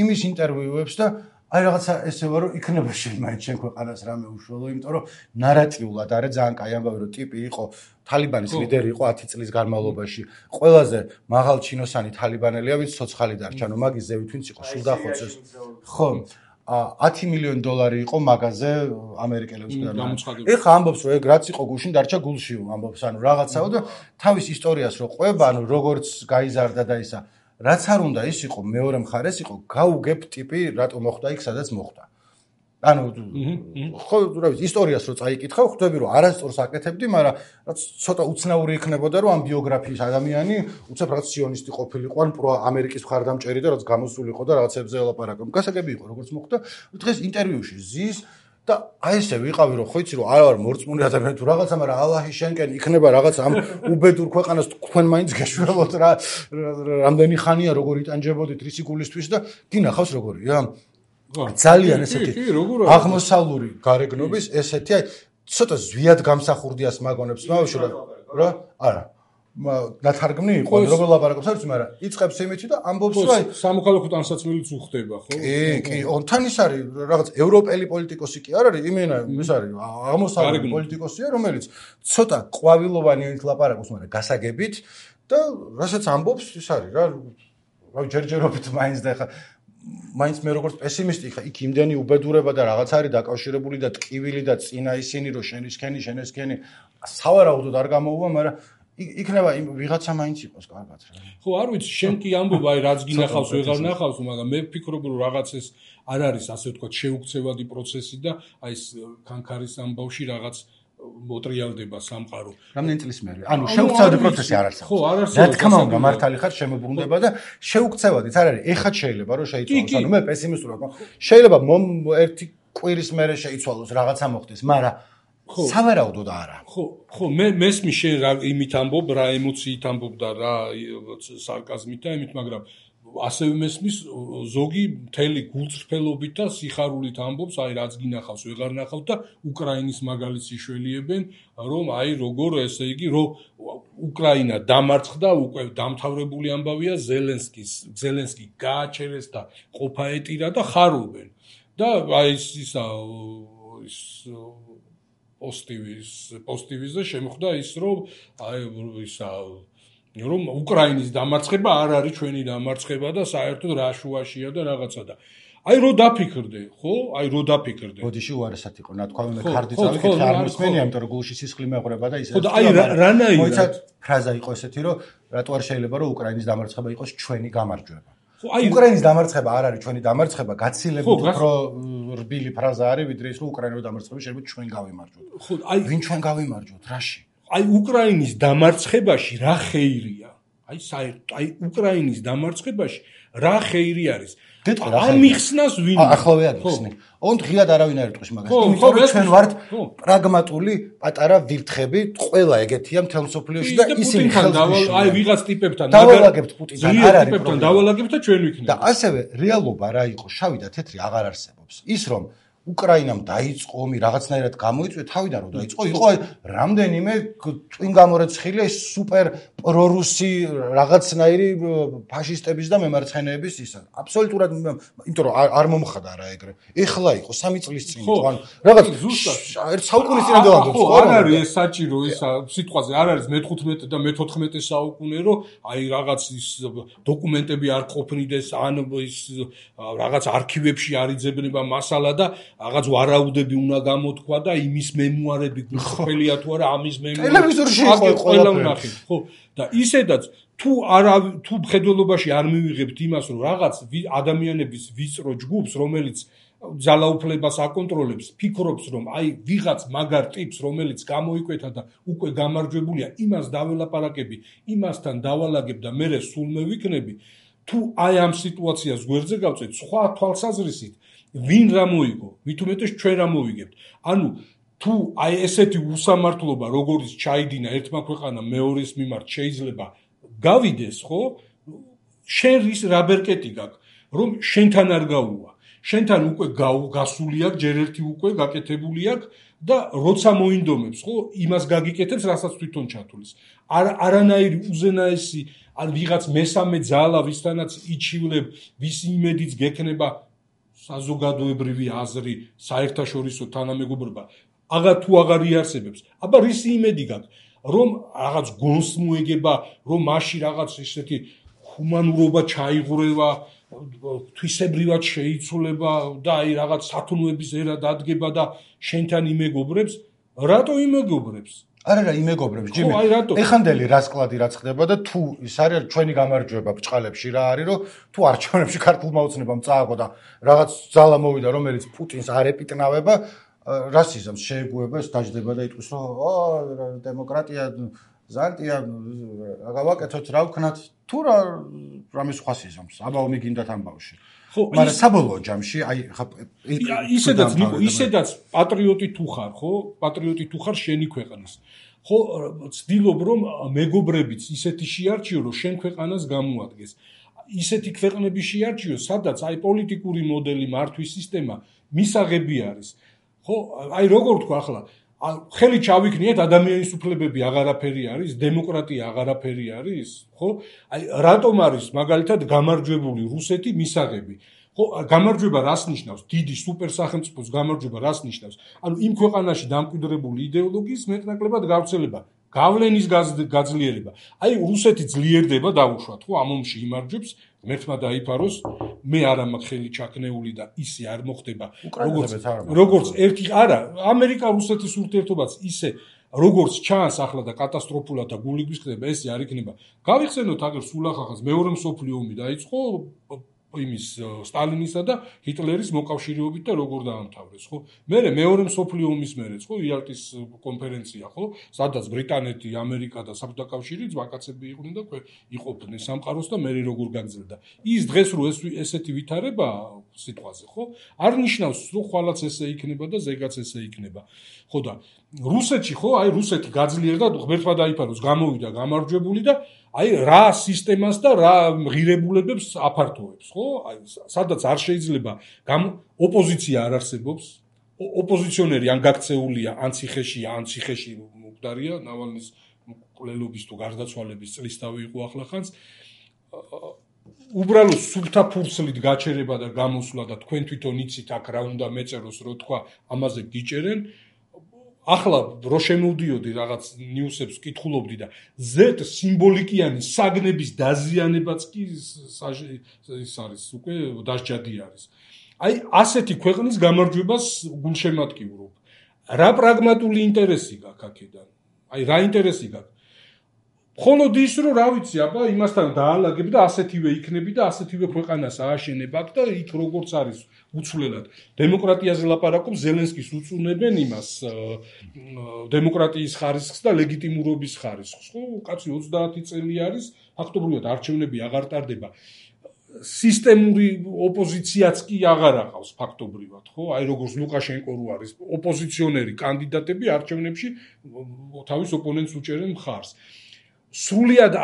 იმის ინტერვიუებს და აი რაღაცა ესევა რომ იქნება მაინც შენ ქვეყანას რამე უშუალო, იმიტომ რომ ნარატიულად არის ძალიან კაი ამბავი რომ ტიპი იყო თალიბანის ლიდერი იყო 10 წლის განმავლობაში. ყველაზე მაღალ ჩინოსანი თალიბანელია, ვინც ცოცხალი დარჩა, ანუ მაგის ზევით ვინც იყო სულ დახოცეს. ხო. $10 მილიონი იყო მაგაზე ამერიკელებს და ეხა ამბობს რომ ეგ რაც იყო გუშინ დარჩა გულში ამბობს, ანუ რაღაცაო და თავის ისტორიას რო ყვება, ანუ როგორც გაიზარდა და ისა რაც არ უნდა ის იყო მეორე მხარეს იყო გაუგებ ტიპი რატო მოხდა იქ სადაც მოხდა. ანუ ხო რა ვიცი ისტორიას რო წაიკითხავ ხვდები რომ არასწორს აკეთებდი, მაგრამ რაც ცოტა უცნაური იქნებოდა რომ ამ ბიოგრაფიის ადამიანი უცებ რაც სიონისტი ყოფილიყო ან პრო ამერიკის მხარდამჭერი და რაც გამოსულიყო და რაღაცებზე ელაპარაკო. გასაგები იყო როგორც მოხდა. დღეს ინტერვიუში ზის და აი ესე ვიყავი რომ ხო იცი რომ არ ვარ მორწმუნე ადამიანი თუ რაღაცა, მაგრამ ალაჰი შენკენ იქნება რაღაც ამ უბედურ ქვეყანას თქვენ მაინც გეშველოთ რა რამდენი ხანია როგორ იტანჯებოდით რისი გულისთვის და გინახავს როგორია ძალიან ესეთი აღმოსავლური გარეგნობის ესეთი აი ცოტა ზვიად გამსახურდიას მაგონებს მავში რა არა ნათარგმნი იყო როგორ ლაპარაკობს არის, მაგრამ იწყებს იმითი და ამბობს რომ აი სამოქალაქო ტანსაცმელიც უხდება ხო? კი, თან ის არის რაღაც ევროპელი პოლიტიკოსი კი არ არის, იმენა ის არის აღმოსავლური პოლიტიკოსია, რომელიც ცოტა ყვავილოვანი ლაპარაკობს, მაგრამ გასაგებით და რასაც ამბობს ის არის რა ჯერჯერობით მაინც და ხა მაინც მე როგორც პესიმისტი ხა იქ იმდენი უბედურება და რაღაც არის დაკავშირებული და ტკივილი და წინა ისინი რომ შენესქენი სავარაუდოდ არ გამოუვა, მაგრამ იქნება ვიღაცა მაინც იყოს კარგად რა. ხო, არ ვიცი, შენ კი ამბობ აი რაც გინახავს, ვეღარ ნახავს, მაგრამ მე ვფიქრობ რომ რაღაც ეს არ არის ასე ვთქვათ შეუქცევადი პროცესი და აი ეს კანკარის ამბავში რაღაც მოტრიალდება სამყარო. რამდენი წლის მერე? ანუ შეუქცევადი პროცესი არ არსებობს. ხო, არ არსებობს. რა თქმა უნდა, მართალი ხარ, შემოbrunდება და შეუქცევადიც არ არის. ეხა შეიძლება რომ შეიცვალოს. ანუ მე პესიმისტურად ვარ. შეიძლება ერთი კვირის მერე შეიცვალოს რაღაცა მოხდეს, მაგრამ სავარაუდოდ არა. ხო, მე მესმის შენ რა იმით ამბობ, რა ემოციით ამბობ და რა სარკაზმით და იმით, მაგრამ ასევე მესმის ზოგი მთელი გულწრფელობით და სიხარულით ამბობს, აი რაც გინახავს, ვეღარ ნახავთ და უკრაინის მაგალითს იშველიებენ, რომ აი როგორ ესე იგი, რომ უკრაინა დამარცხდა, უკვე დამთავრებული ამბავია ზელენსკი გააჩერეს და ყოფა ეტირა და ხარობენ. და აი ისა პოსტივიზზე შემხვდა ის რომ რომ უკრაინის დამარცხება არ არის ჩვენი დამარცხება და საერთოდ რა შუაშია და რაღაცა და აი რო დაფიქრდე, ხო? აი რო დაფიქრდე. ბოდიში უარესად იყო, ნათქვამი მე ხარდი წავიკითხე არ მოსმენია, იმიტომ რომ გულში სისხლი მეღვრება და ისე. ხო და აი რანაირად მოიცად ფრაზა იყო ესეთი, რომ რატო არ შეიძლება რომ უკრაინის დამარცხება იყოს ჩვენი გამარჯვება. ხო აი უკრაინის დამარცხება არ არის ჩვენი დამარცხება, გაცილებით უფრო რბილი ფრაზა არის, ვიდრე ის რომ უკრაინის დამარცხება შეიძლება ჩვენ გავიმარჯვოთ. ხო აი ვინ ჩვენ გავიმარჯვოთ, რაში? აი უკრაინის დამარცხებაში რა ხეირია? აი საერთოდ აი უკრაინის დამარცხებაში რა ხეირი არის? ამიხსნას ვინ? ახლავე აგიხსნი. ოღონდ ღიად არავინ არ იტყვის მაგას. იმიტომ რომ ჩვენ ვართ პრაგმატული პატარა ვირთხები, ყველა ეგეთია მთელ მსოფლიოში და ისინი აი ვიღაც ტიპებთან დავალაგებთ პუტინთან, არ არის პრობლემა. დავალაგებთ და ჩვენ ვიქნებით. და ასევე რეალობა რა იყო? შავი და თეთრი აღარ არსებობს. ის რომ უკრაინამ დაიწყო ომი რაღაცნაირად გამოიწვია თავიდან რომ დაიწყო იყო რამდენიმე წვინგამორეცხილი სუპერ პრორუსი რაღაცნაირი ფაშისტების და მემარცხენეების ისა აბსოლუტურად იმიტომ რომ არ მომხდა რა ეგრე ეხლა იყო 3 წლის წინ იყო ან რაღაც ერთ საუკუნის წინამდე ვამბობ ხო არ არის ეს საჭირო ისა სიტყვაზე არ არის მე-15 და მე-14 საუკუნე რომ აი რაღაც ის დოკუმენტები არ ყოფნიდეს ან ის რაღაც არქივებში არ იძებნება მასალა და რაღაც ვარაუდები უნდა გამოთქვა და იმის მემუარები გულწრფელია თუ არა ამის მემუარები ტელევიზორში იყო ყველა ვნახეთ ხო და ისედაც თუ მხედველობაში არ მივიღებთ იმას რომ რაღაც ადამიანების ვიწრო ჯგუფს რომელიც ძალაუფლებას აკონტროლებს ფიქრობს რომ აი ვიღაც მაგარ ტიპს რომელიც გამოიკვეთა და უკვე გამარჯვებულია იმას დაველაპარაკები იმასთან დავალაგებ და მე სულ მევიქნები თუ აი ამ სიტუაციას გვერდზე გავწევთ სხვა თვალსაზრისით ვინ რა მოიგო მით უმეტეს ჩვენ რა მოვიგებთ ანუ თუ აი ესეთი უსამართლობა როგორც ჩაიდინა ერთმა ქვეყანამ მეორის მიმართ შეიძლება გავიდეს ხო შენ რის რა ბერკეტი გაქვს რომ შენთან არ გაუვა შენთან უკვე გასული აქვს ჯერ ერთი უკვე გაკეთებული აქვს და როცა მოინდომებს ხო იმას გაგიკეთებს რასაც თვითონ ჩათulis არანაირი უზენაესი ან ვიღაც მესამე ძალა ვისთანაც იჩივლებ ვის იმედიც გექნება საზოგადოებრივი აზრი საერთაშორისო თანამეგობრობა თუ აღარ იარსებებს აბა რის იმედი გაქვს რომ რაღაც გონს მოეგება რომ მასში რაღაც ესეთი ჰუმანურობა ჩაიღრევა თვისებრივად შეიცვლება და აი რაღაც სათნოების ერა დადგება და შენთან იმეგობრებს რატო იმეგობრებს არა იმეგობრებს ჯიმი ეხანდელი რა სკლადი რა ხდება და თუ ის არის ჩვენი გამარჯვება ბჭყალებში რა არის რომ თუ არჩევნებში ქართულმა ოცნებამ წააგო და რაღაც ძალა მოვიდა რომელიც პუტინს არ ეპიტნავება რასიზმს შეეგუება ეს დაждდება და იტყვის რომ დემოკრატია ზანტია გავაკეთოთ რა ვქნათ თუ რამე სხვა სიზმს აბა ომი გინდათ ამბავში ხო მაგრამ საბოლოო ჯამში აი ისედაც პატრიოტი თუ ხარ ხო პატრიოტი თუ ხარ შენი ქვეყნის ხო ცდილობ რომ მეგობრებიც ისეთი შეარჩიო რომ შენ ქვეყანას გამოადგეს ისეთი ქვეყნები შეარჩიო სადაც აი პოლიტიკური მოდელი მართვის სისტემა მისაღები არის ხო აი როგორ თქვა ახლა ხელი ჩავიქნიეთ ადამიანის უფლებები აღარაფერი არის დემოკრატია აღარაფერი არის ხო აი რატომ არის მაგალითად გამარჯვებული რუსეთი მისაღები ხო გამარჯვება რას ნიშნავს დიდი სუპერ სახელმწიფოს გამარჯვება რას ნიშნავს ანუ იმ ქვეყანაში დამკვიდრებული იდეოლოგიის მეტნაკლებად გავრცელება გავლენის გაძლიერება აი რუსეთი ძლიერდება დაუშვათ ხო ამ ომში იმარჯვებს მერთმა დაიფაროს მე არ მაქვს ხელი ჩაქნეული და ისე არ მოხდება როგორც ერთი არა ამერიკა რუსეთის ურთიერთობაც ისე როგორც ჩანს ახლა და კატასტროფულად და გული გვიხდება ესე არ იქნება გავიხსენოთ აგერ სულ ახახას მეორე მსოფლიო ომი დაიწყო იმის სტალინისა და ჰიტლერის მოკავშირეობით და როგორ დაამთავრეს ხო მე მეორე მსოფლიო ომის მერეც ხო იალტის კონფერენცია ხო სადაც ბრიტანეთი ამერიკა და საბჭოთა კავშირი ძვაკაცები იყვნენ და იყოფდნენ სამყაროს და მე როგორ გაგრძელდა ის დღეს რო ესეთი ვითარება სიტყვაზე ხო არ ნიშნავს რომ ხვალაც ესე იქნება და ზეგაც ესე იქნება ხო და რუსეთში ხო აი რუსეთი გაძლიერდა ღმერთმა დაიფაროს გამოვიდა გამარჯვებული და აი რა სისტემას და რა ღირებულებებს აფართოვებს ხო აი სადაც არ შეიძლება ოპოზიცია არ არსებობს ოპოზიციონერი ან გაქცეულია ან ციხეში მკვდარია ნავალნის მკვლელობის თუ გარდაცვალების წლისთავი იყო ახლახანს უბრალოდ სულთა ფურცლით გაჩერება და გამოსვლა და თქვენ თვითონ იცით აქ რა უნდა მეწეროს რო თქვა ამაზე გიჭერენ ახლა რო შემოვდიოდი რაღაც ნიუსებს ვკითხულობდი და Z სიმბოლიკიანი საგნების დაზიანებაც კი ის არის უკვე დასჯადი არის. აი ასეთი ქვეყნის გამარჯვებას გულშემატკივრობ. რა პრაგმატული ინტერესი გაქვს აქედან? აი რა ინტერესი გაქვს? მხოლოდ ის რომ რა ვიცი, აბა იმასთან დაალაგებ და ასეთივე იქნები და ასეთივე ქვეყანას ააშენებ აქ და იქ როგორც არის უცვლელად დემოკრატიაზე ლაპარაკობ, ზელენსკის უწუნებენ იმას დემოკრატიის ხარისხს და ლეგიტიმურობის ხარისხს. ხო, კაცი 30 წელი არის, ფაქტობრივად არჩევნები აღარ ტარდება. სისტემური ოპოზიციაც კი აღარ აყავს ფაქტობრივად, ხო? აი როგორც ლუკაშენკო რო არის, ოპოზიციონერი კანდიდატები არჩევნებში თავის ოპონენტს უჭერენ მხარს. სრულიად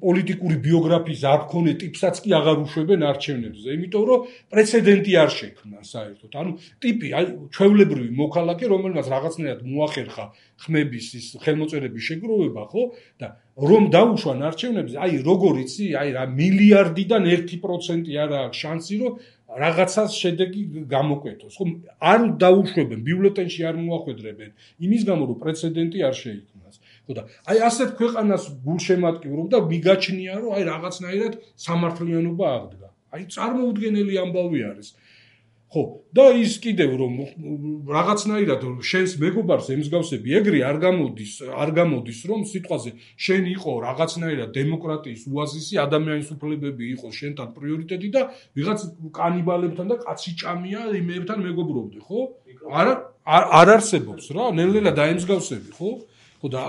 პოლიტიკური ბიოგრაფიის არ მქონე ტიპსაც კი აღარ უშვებენ არჩევნებზე, იმიტომ რომ პრეცედენტი არ შექმნა საერთოდ. ანუ ტიპი, აი ჩვეულებრივი მოქალაქე, რომელმაც რაღაცნაირად მოახერხა ხმების ის ხელმოწერების შეგროვება, ხო? და რომ დაუშვან არჩევნებზე, აი როგორ იცი, აი რა მილიარდიდან 1% არა აქვს შანსი, რომ რაღაცას შედეგი გამოკვეთოს. ხო, არ დაუშვებენ, ბიულეტენში არ მოახვედრებენ, იმის გამო რომ პრეცედენტი არ შეიქმნას. ხო და აი ასეთ ქვეყანას გულშემატკივრობ და მიგაჩნია რომ აი რაღაცნაირად სამართლიანობა აღდგა. აი წარმოუდგენელი ამბავი არის. ხო და ის კიდევ რომ რაღაცნაირად შენს მეგობარს ემსგავსები ეგრე არ გამოდის რომ სიტყვაზე შენ იყო რაღაცნაირად დემოკრატიის უაზისი ადამიანის უფლებები იყო შენთან პრიორიტეტი და ვიღაც კანიბალებთან და კაციჭამია იმებთან მეგობრობდი ხო? არ არსებობს რა, ნელ-ნელა დაემსგავსები ხო? ხო და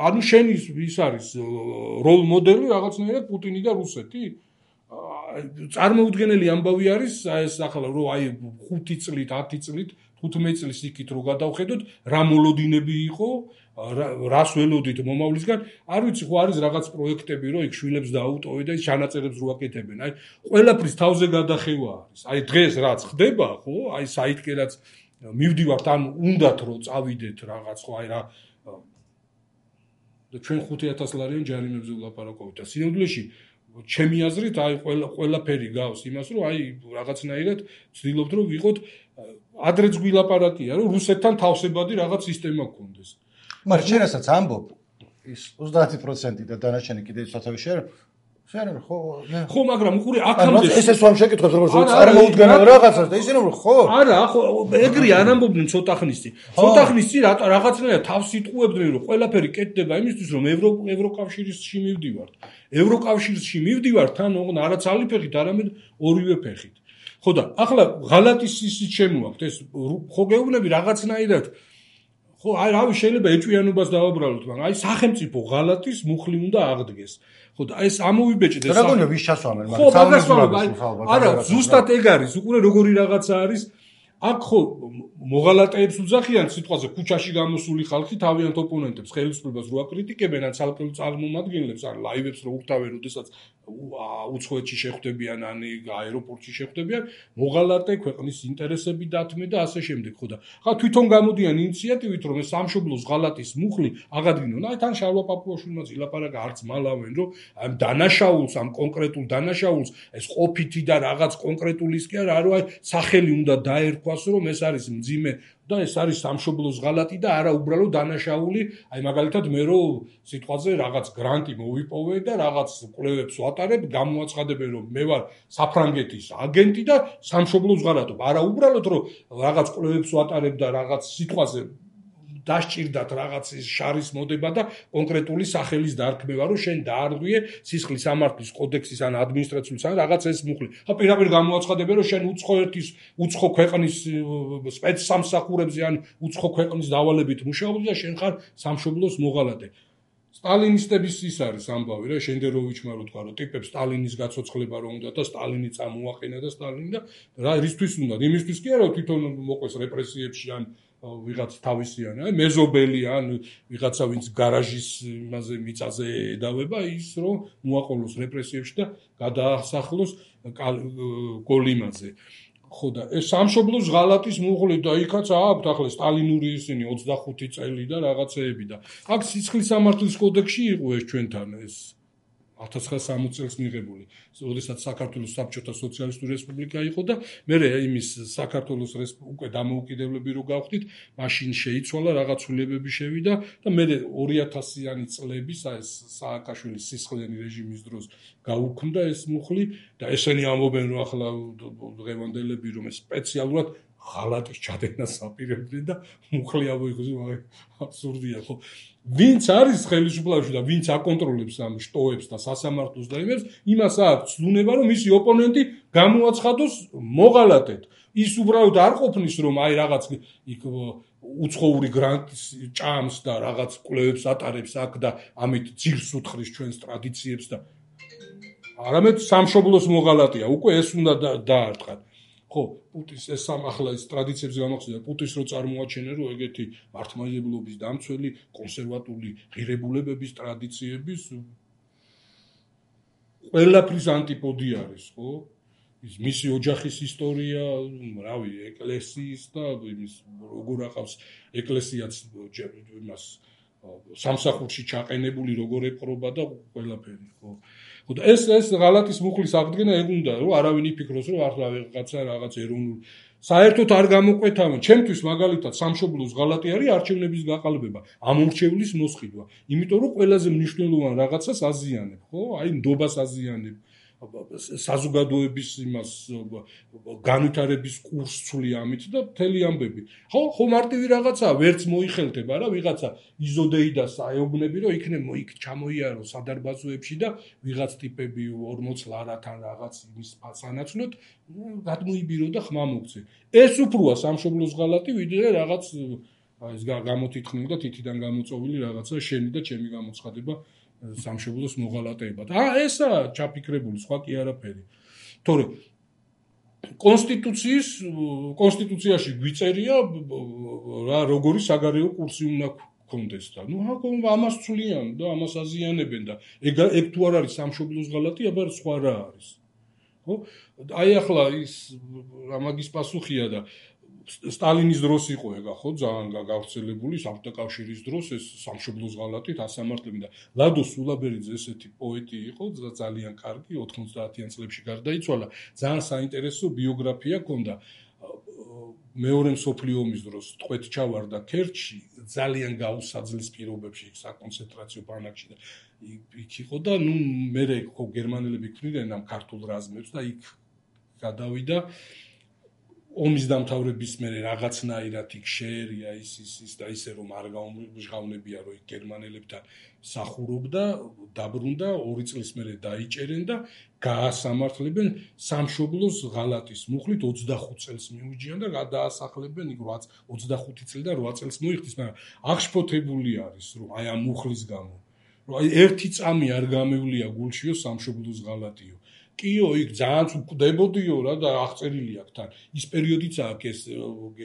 ანუ შენი ის არის როლ მოდელი რაღაცნაირად პუტინი და რუსეთი? წარმოუდგენელი ამბავი არის ეს ახლა რომ აი 5 წლით 10 წლით 15 წლის იქით რო გადავხედოთ რა მოლოდინები იყო რას ველოდით მომავლისგან არ ვიცი ხო არის რაღაც პროექტები რომ იქ შვილებს დააუტოვე და ის ჩანაწერებს რო აკეთებენ აი ყველაფრის თავზე გადახევა არის აი დღეს რაც ხდება ხო აი საითკე რაც მივდივართ ან უნდათ რომ წავიდეთ რაღაც ხო აი რა და ჩვენ 5000 ლარიან ჯარიმებზე ვლაპარაკობთ და სინამდვილეში ჩემი აზრით აი ყველაფერი გავს იმას რომ აი რაღაცნაირად ვცდილობთ რომ ვიყოთ ადრეც გვილაპარაკია რომ რუსეთთან თავსებადი რაღაც სისტემა გქონდეს. მაგრამ შენ რასაც ამბობ ის 30% და დანარჩენი კიდევ სათავე შენ ხო მაგრამ უყურე აქამდე ეს ვამ შეკითხებს როგორც წარმოუდგენელ რაღაცას და ისინი ხო არა ხო ეგრე არ ამბობდნენ ცოტა ხნის წინ რაღაცნაირად თავს იტყუებდნენ რომ ყველაფერი კეთდება იმისთვის რომ ევროკავშირში მივდივართ ევროკავშირში მივდივართ თან არა ძალი ფეხით არამედ ორივე ფეხით ხო და ახლა ღალატის ისიც შემოაქვთ ეს ხო გეუბნები რაღაცნაირად ხო აი რავი შეიძლება ეჭვიანობას დავაბრალოთ მაგრამ აი სახელმწიფო ღალატის მუხლი უნდა აღდგეს ხო და ეს ამოვიბეჭდეს რა გონია ვის ჩასვამენ მაგრამ არა ზუსტად ეგ არის უყურე როგორი რაღაცა არის აქ ხო მოღალატეებს უძახიან სიტყვაზე ქუჩაში გამოსული ხალხი თავიანთ ოპონენტებს ხელისუფლებას რო აკრიტიკებენ ან ცალკეულ წარმომადგენლებს ან ლაივებს რო უხდავენ როდესაც უცხოეთში შეხვდებიან ან აეროპორტში შეხვდებიან მოღალატე ქვეყნის ინტერესები დათმე და ასე შემდეგ ხო და ხა თვითონ გამოდიან ინიციატივით რომ ეს სამშობლოს ღალატის მუხლი აღადგინონ აი თან შარვა პაპუაშვილმაც ილაპარაკა არც მალავენ რომ ამ დანაშაულს ამ კონკრეტულ დანაშაულს ეს ყოფითი და რაღაც კონკრეტულის კი არა რომ აი სახელი უნდა დაერქვას რომ ეს არის მძიმე და ეს არის სამშობლოს ღალატი და არა უბრალოდ დანაშაული აი მაგალითად მე რო სიტყვაზე რაღაც გრანტი მოვიპოვე და რაღაც კვლევებს ვატარებ გამოაცხადებენ რომ მე ვარ საფრანგეთის აგენტი და სამშობლოს ღალატობ არა უბრალოდ რომ რაღაც კვლევებს ვატარებ და რაღაც სიტყვაზე დასჭირდათ რაღაც შარის მოდება და კონკრეტული სახელის დარქმევა რომ შენ დაარღვიე სისხლის სამართლის კოდექსის ან ადმინისტრაციული ან რაღაც ეს მუხლი. ხა პირდაპირ გამოაცხადებენ რომ შენ უცხო ქვეყნის სპეცსამსახურებზე ან უცხო ქვეყნის დავალებით მუშაობდი და შენ ხარ სამშობლოს მოღალატე. სტალინისტების ის არის ამბავი რა შენდეროვიჩმა რო თქვა რომ ტიპებს სტალინის გაცოცხლება რომ უნდა და სტალინი წამოაყენა და სტალინი და რა რისთვის უნდა იმისთვის კი არა თვითონ მოყვეს რეპრესიებში ან ვიღაც თავისიანი აი მეზობელი ან ვიღაცა ვინც გარაჟის იმაზე მიწაზე ედავება ის რომ მოაყოლოს რეპრესიებში და გადაასახლოს კოლიმაზე ხო და ეს სამშობლოს ღალატის მუხლი და იქაც აქვთ ახლა სტალინური ისინი 25 წელი და რაღაცეები და აქ სისხლის სამართლის კოდექსში იყო ეს ჩვენთან ეს 1960 წელს მიღებული, როდესაც საქართველოს საბჭოთა სოციალისტური რესპუბლიკა იყო და მე იმის საქართველოს უკვე დამოუკიდებლები რო გავხდით, მაშინ შეიცვალა რაღაც ცვლილებები შევიდა და მე 2000-იანი წლების ეს სააკაშვილის სისხლიანი რეჟიმის დროს გაუქმდა ეს მუხლი და ესენი ამბობენ რომ ახლა დღევანდელები რომ სპეციალურად ღალატის ჩადენას აპირებდნენ და მუხლი ამოიღოს, აბსურდია ხო? ვინც არის ხელისუფლებაში და ვინც აკონტროლებს ამ შტოებს და სასამართლოს და იმებს, იმას აქვს ცნუნება რომ მისი ოპონენტი გამოაცხადოს მოღალატედ. ის უბრალოდ არ ყოფნის რომ აი რაღაც იქ უცხოური გრანტის ჭამს და რაღაც კვლევებს ატარებს აქ და ამით ძირს უთხრის ჩვენს ტრადიციებს და არამედ სამშობლოს მოღალატეა. უკვე ეს უნდა დაარტყათ. ხო, პუტის ეს ახლა ეს ტრადიციებს გამოხსნა პუტის რო წარმოაჩენენ რომ ეგეთი მართლმადიდებლობის დამცველი კონსერვატული ღირებულებების ტრადიციების ყველაფრის ანტიპოდი არის, ხო? ის მისი ოჯახის ისტორია, რავი, ეკლესიის და იმის როგორ აყავს ეკლესიაც იმას სამსახურში ჩაყენებული როგორ ეპყრობა და ყველაფერი, ხო? ხო და ეს ღალატის მუხლის აღდგენა ეგ უნდა რომ არავინ იფიქროს რომ ახლა რაღაცა რაღაც ეროვნული საერთოდ არ გამოყვეთავენ. ჩემთვის მაგალითად სამშობლოს ღალატი არის არჩევნების გაყალბება, ამორჩევლის მოსყიდვა. იმიტომ რომ ყველაზე მნიშვნელოვან რაღაცას აზიანებ, ხო? აი ნდობას აზიანებ. საზოგადოების იმას განვითარების კურსს ცვლი ამით და მთელი ამბები. ხო მარტივი რაღაცაა, ვერც მოიხელთება რა ვიღაცა იზოდეიდას აეუბნები რომ იქ ჩამოიარო სადარბაზოებში და ვიღაც ტიპები 40 ლარათან რაღაც იმის სანაცვლოდ გადმოიბირო და ხმა მოგცე. ეს უფროა სამშობლოს ღალატი ვიდრე რაღაც ეს გამოტითხნილი და თითიდან გამოწოვილი რაღაცა შენი და ჩემი გამოცხადება სამშობლოს მოღალატეებად. ესა ჩაფიქრებული, სხვა კი არაფერი. თორე კონსტიტუციაში გვიწერია რა როგორი საგარეო კურსი უნდა გქონდეს და ამას ცვლიან და ამას აზიანებენ და ეგ თუ არ არის სამშობლოს ღალატი, აბა სხვა რა არის. ხო? აი ახლა ის ამაგის პასუხია და სტალინის დროს იყო ეგა ხო ძალიან გავრცელებული საბჭოთა კავშირის დროს ეს სამშობლოს ღალატით ასამართლები და ლადო სულაბერიძე ესეთი პოეტი იყო ძალიან კარგი 90-იან წლებში გარდაიცვალა ძალიან საინტერესო ბიოგრაფია ჰქონდა მეორე მსოფლიო ომის დროს ტყვეთ ჩავარდა ქერჩში ძალიან გაუსაძლის პირობებში საკონცენტრაციო ბანაკში და იქ იყო და ნუ მე ხო გერმანელები ქმნიდნენ ამ ქართულ რაზმებს და იქ გადავიდა ომის დამთავრების მერე რაღაცნაირად იქ შეერია ის და ისე რომ არ გაუმჟღავნებია რომ იქ გერმანელებთან სახურობდა დაბრუნდა 2 წლის მერე დაიჭერენ და გაასამართლებენ სამშობლოს ღალატის მუხლით 25 წელს მიუჯიან და გადაასახლებენ იქ 25 წელი და 8 წელს მოიხდის მაგრამ აღშფოთებული არის რომ აი ამ მუხლის გამო რომ აი ერთი წამი არ გამევლია გულშიო სამშობლოს ღალატიო კიო იქ ძალიან უკვდებოდიო რა და აღწერილი აქვს თან ის პერიოდიც აქვს ეს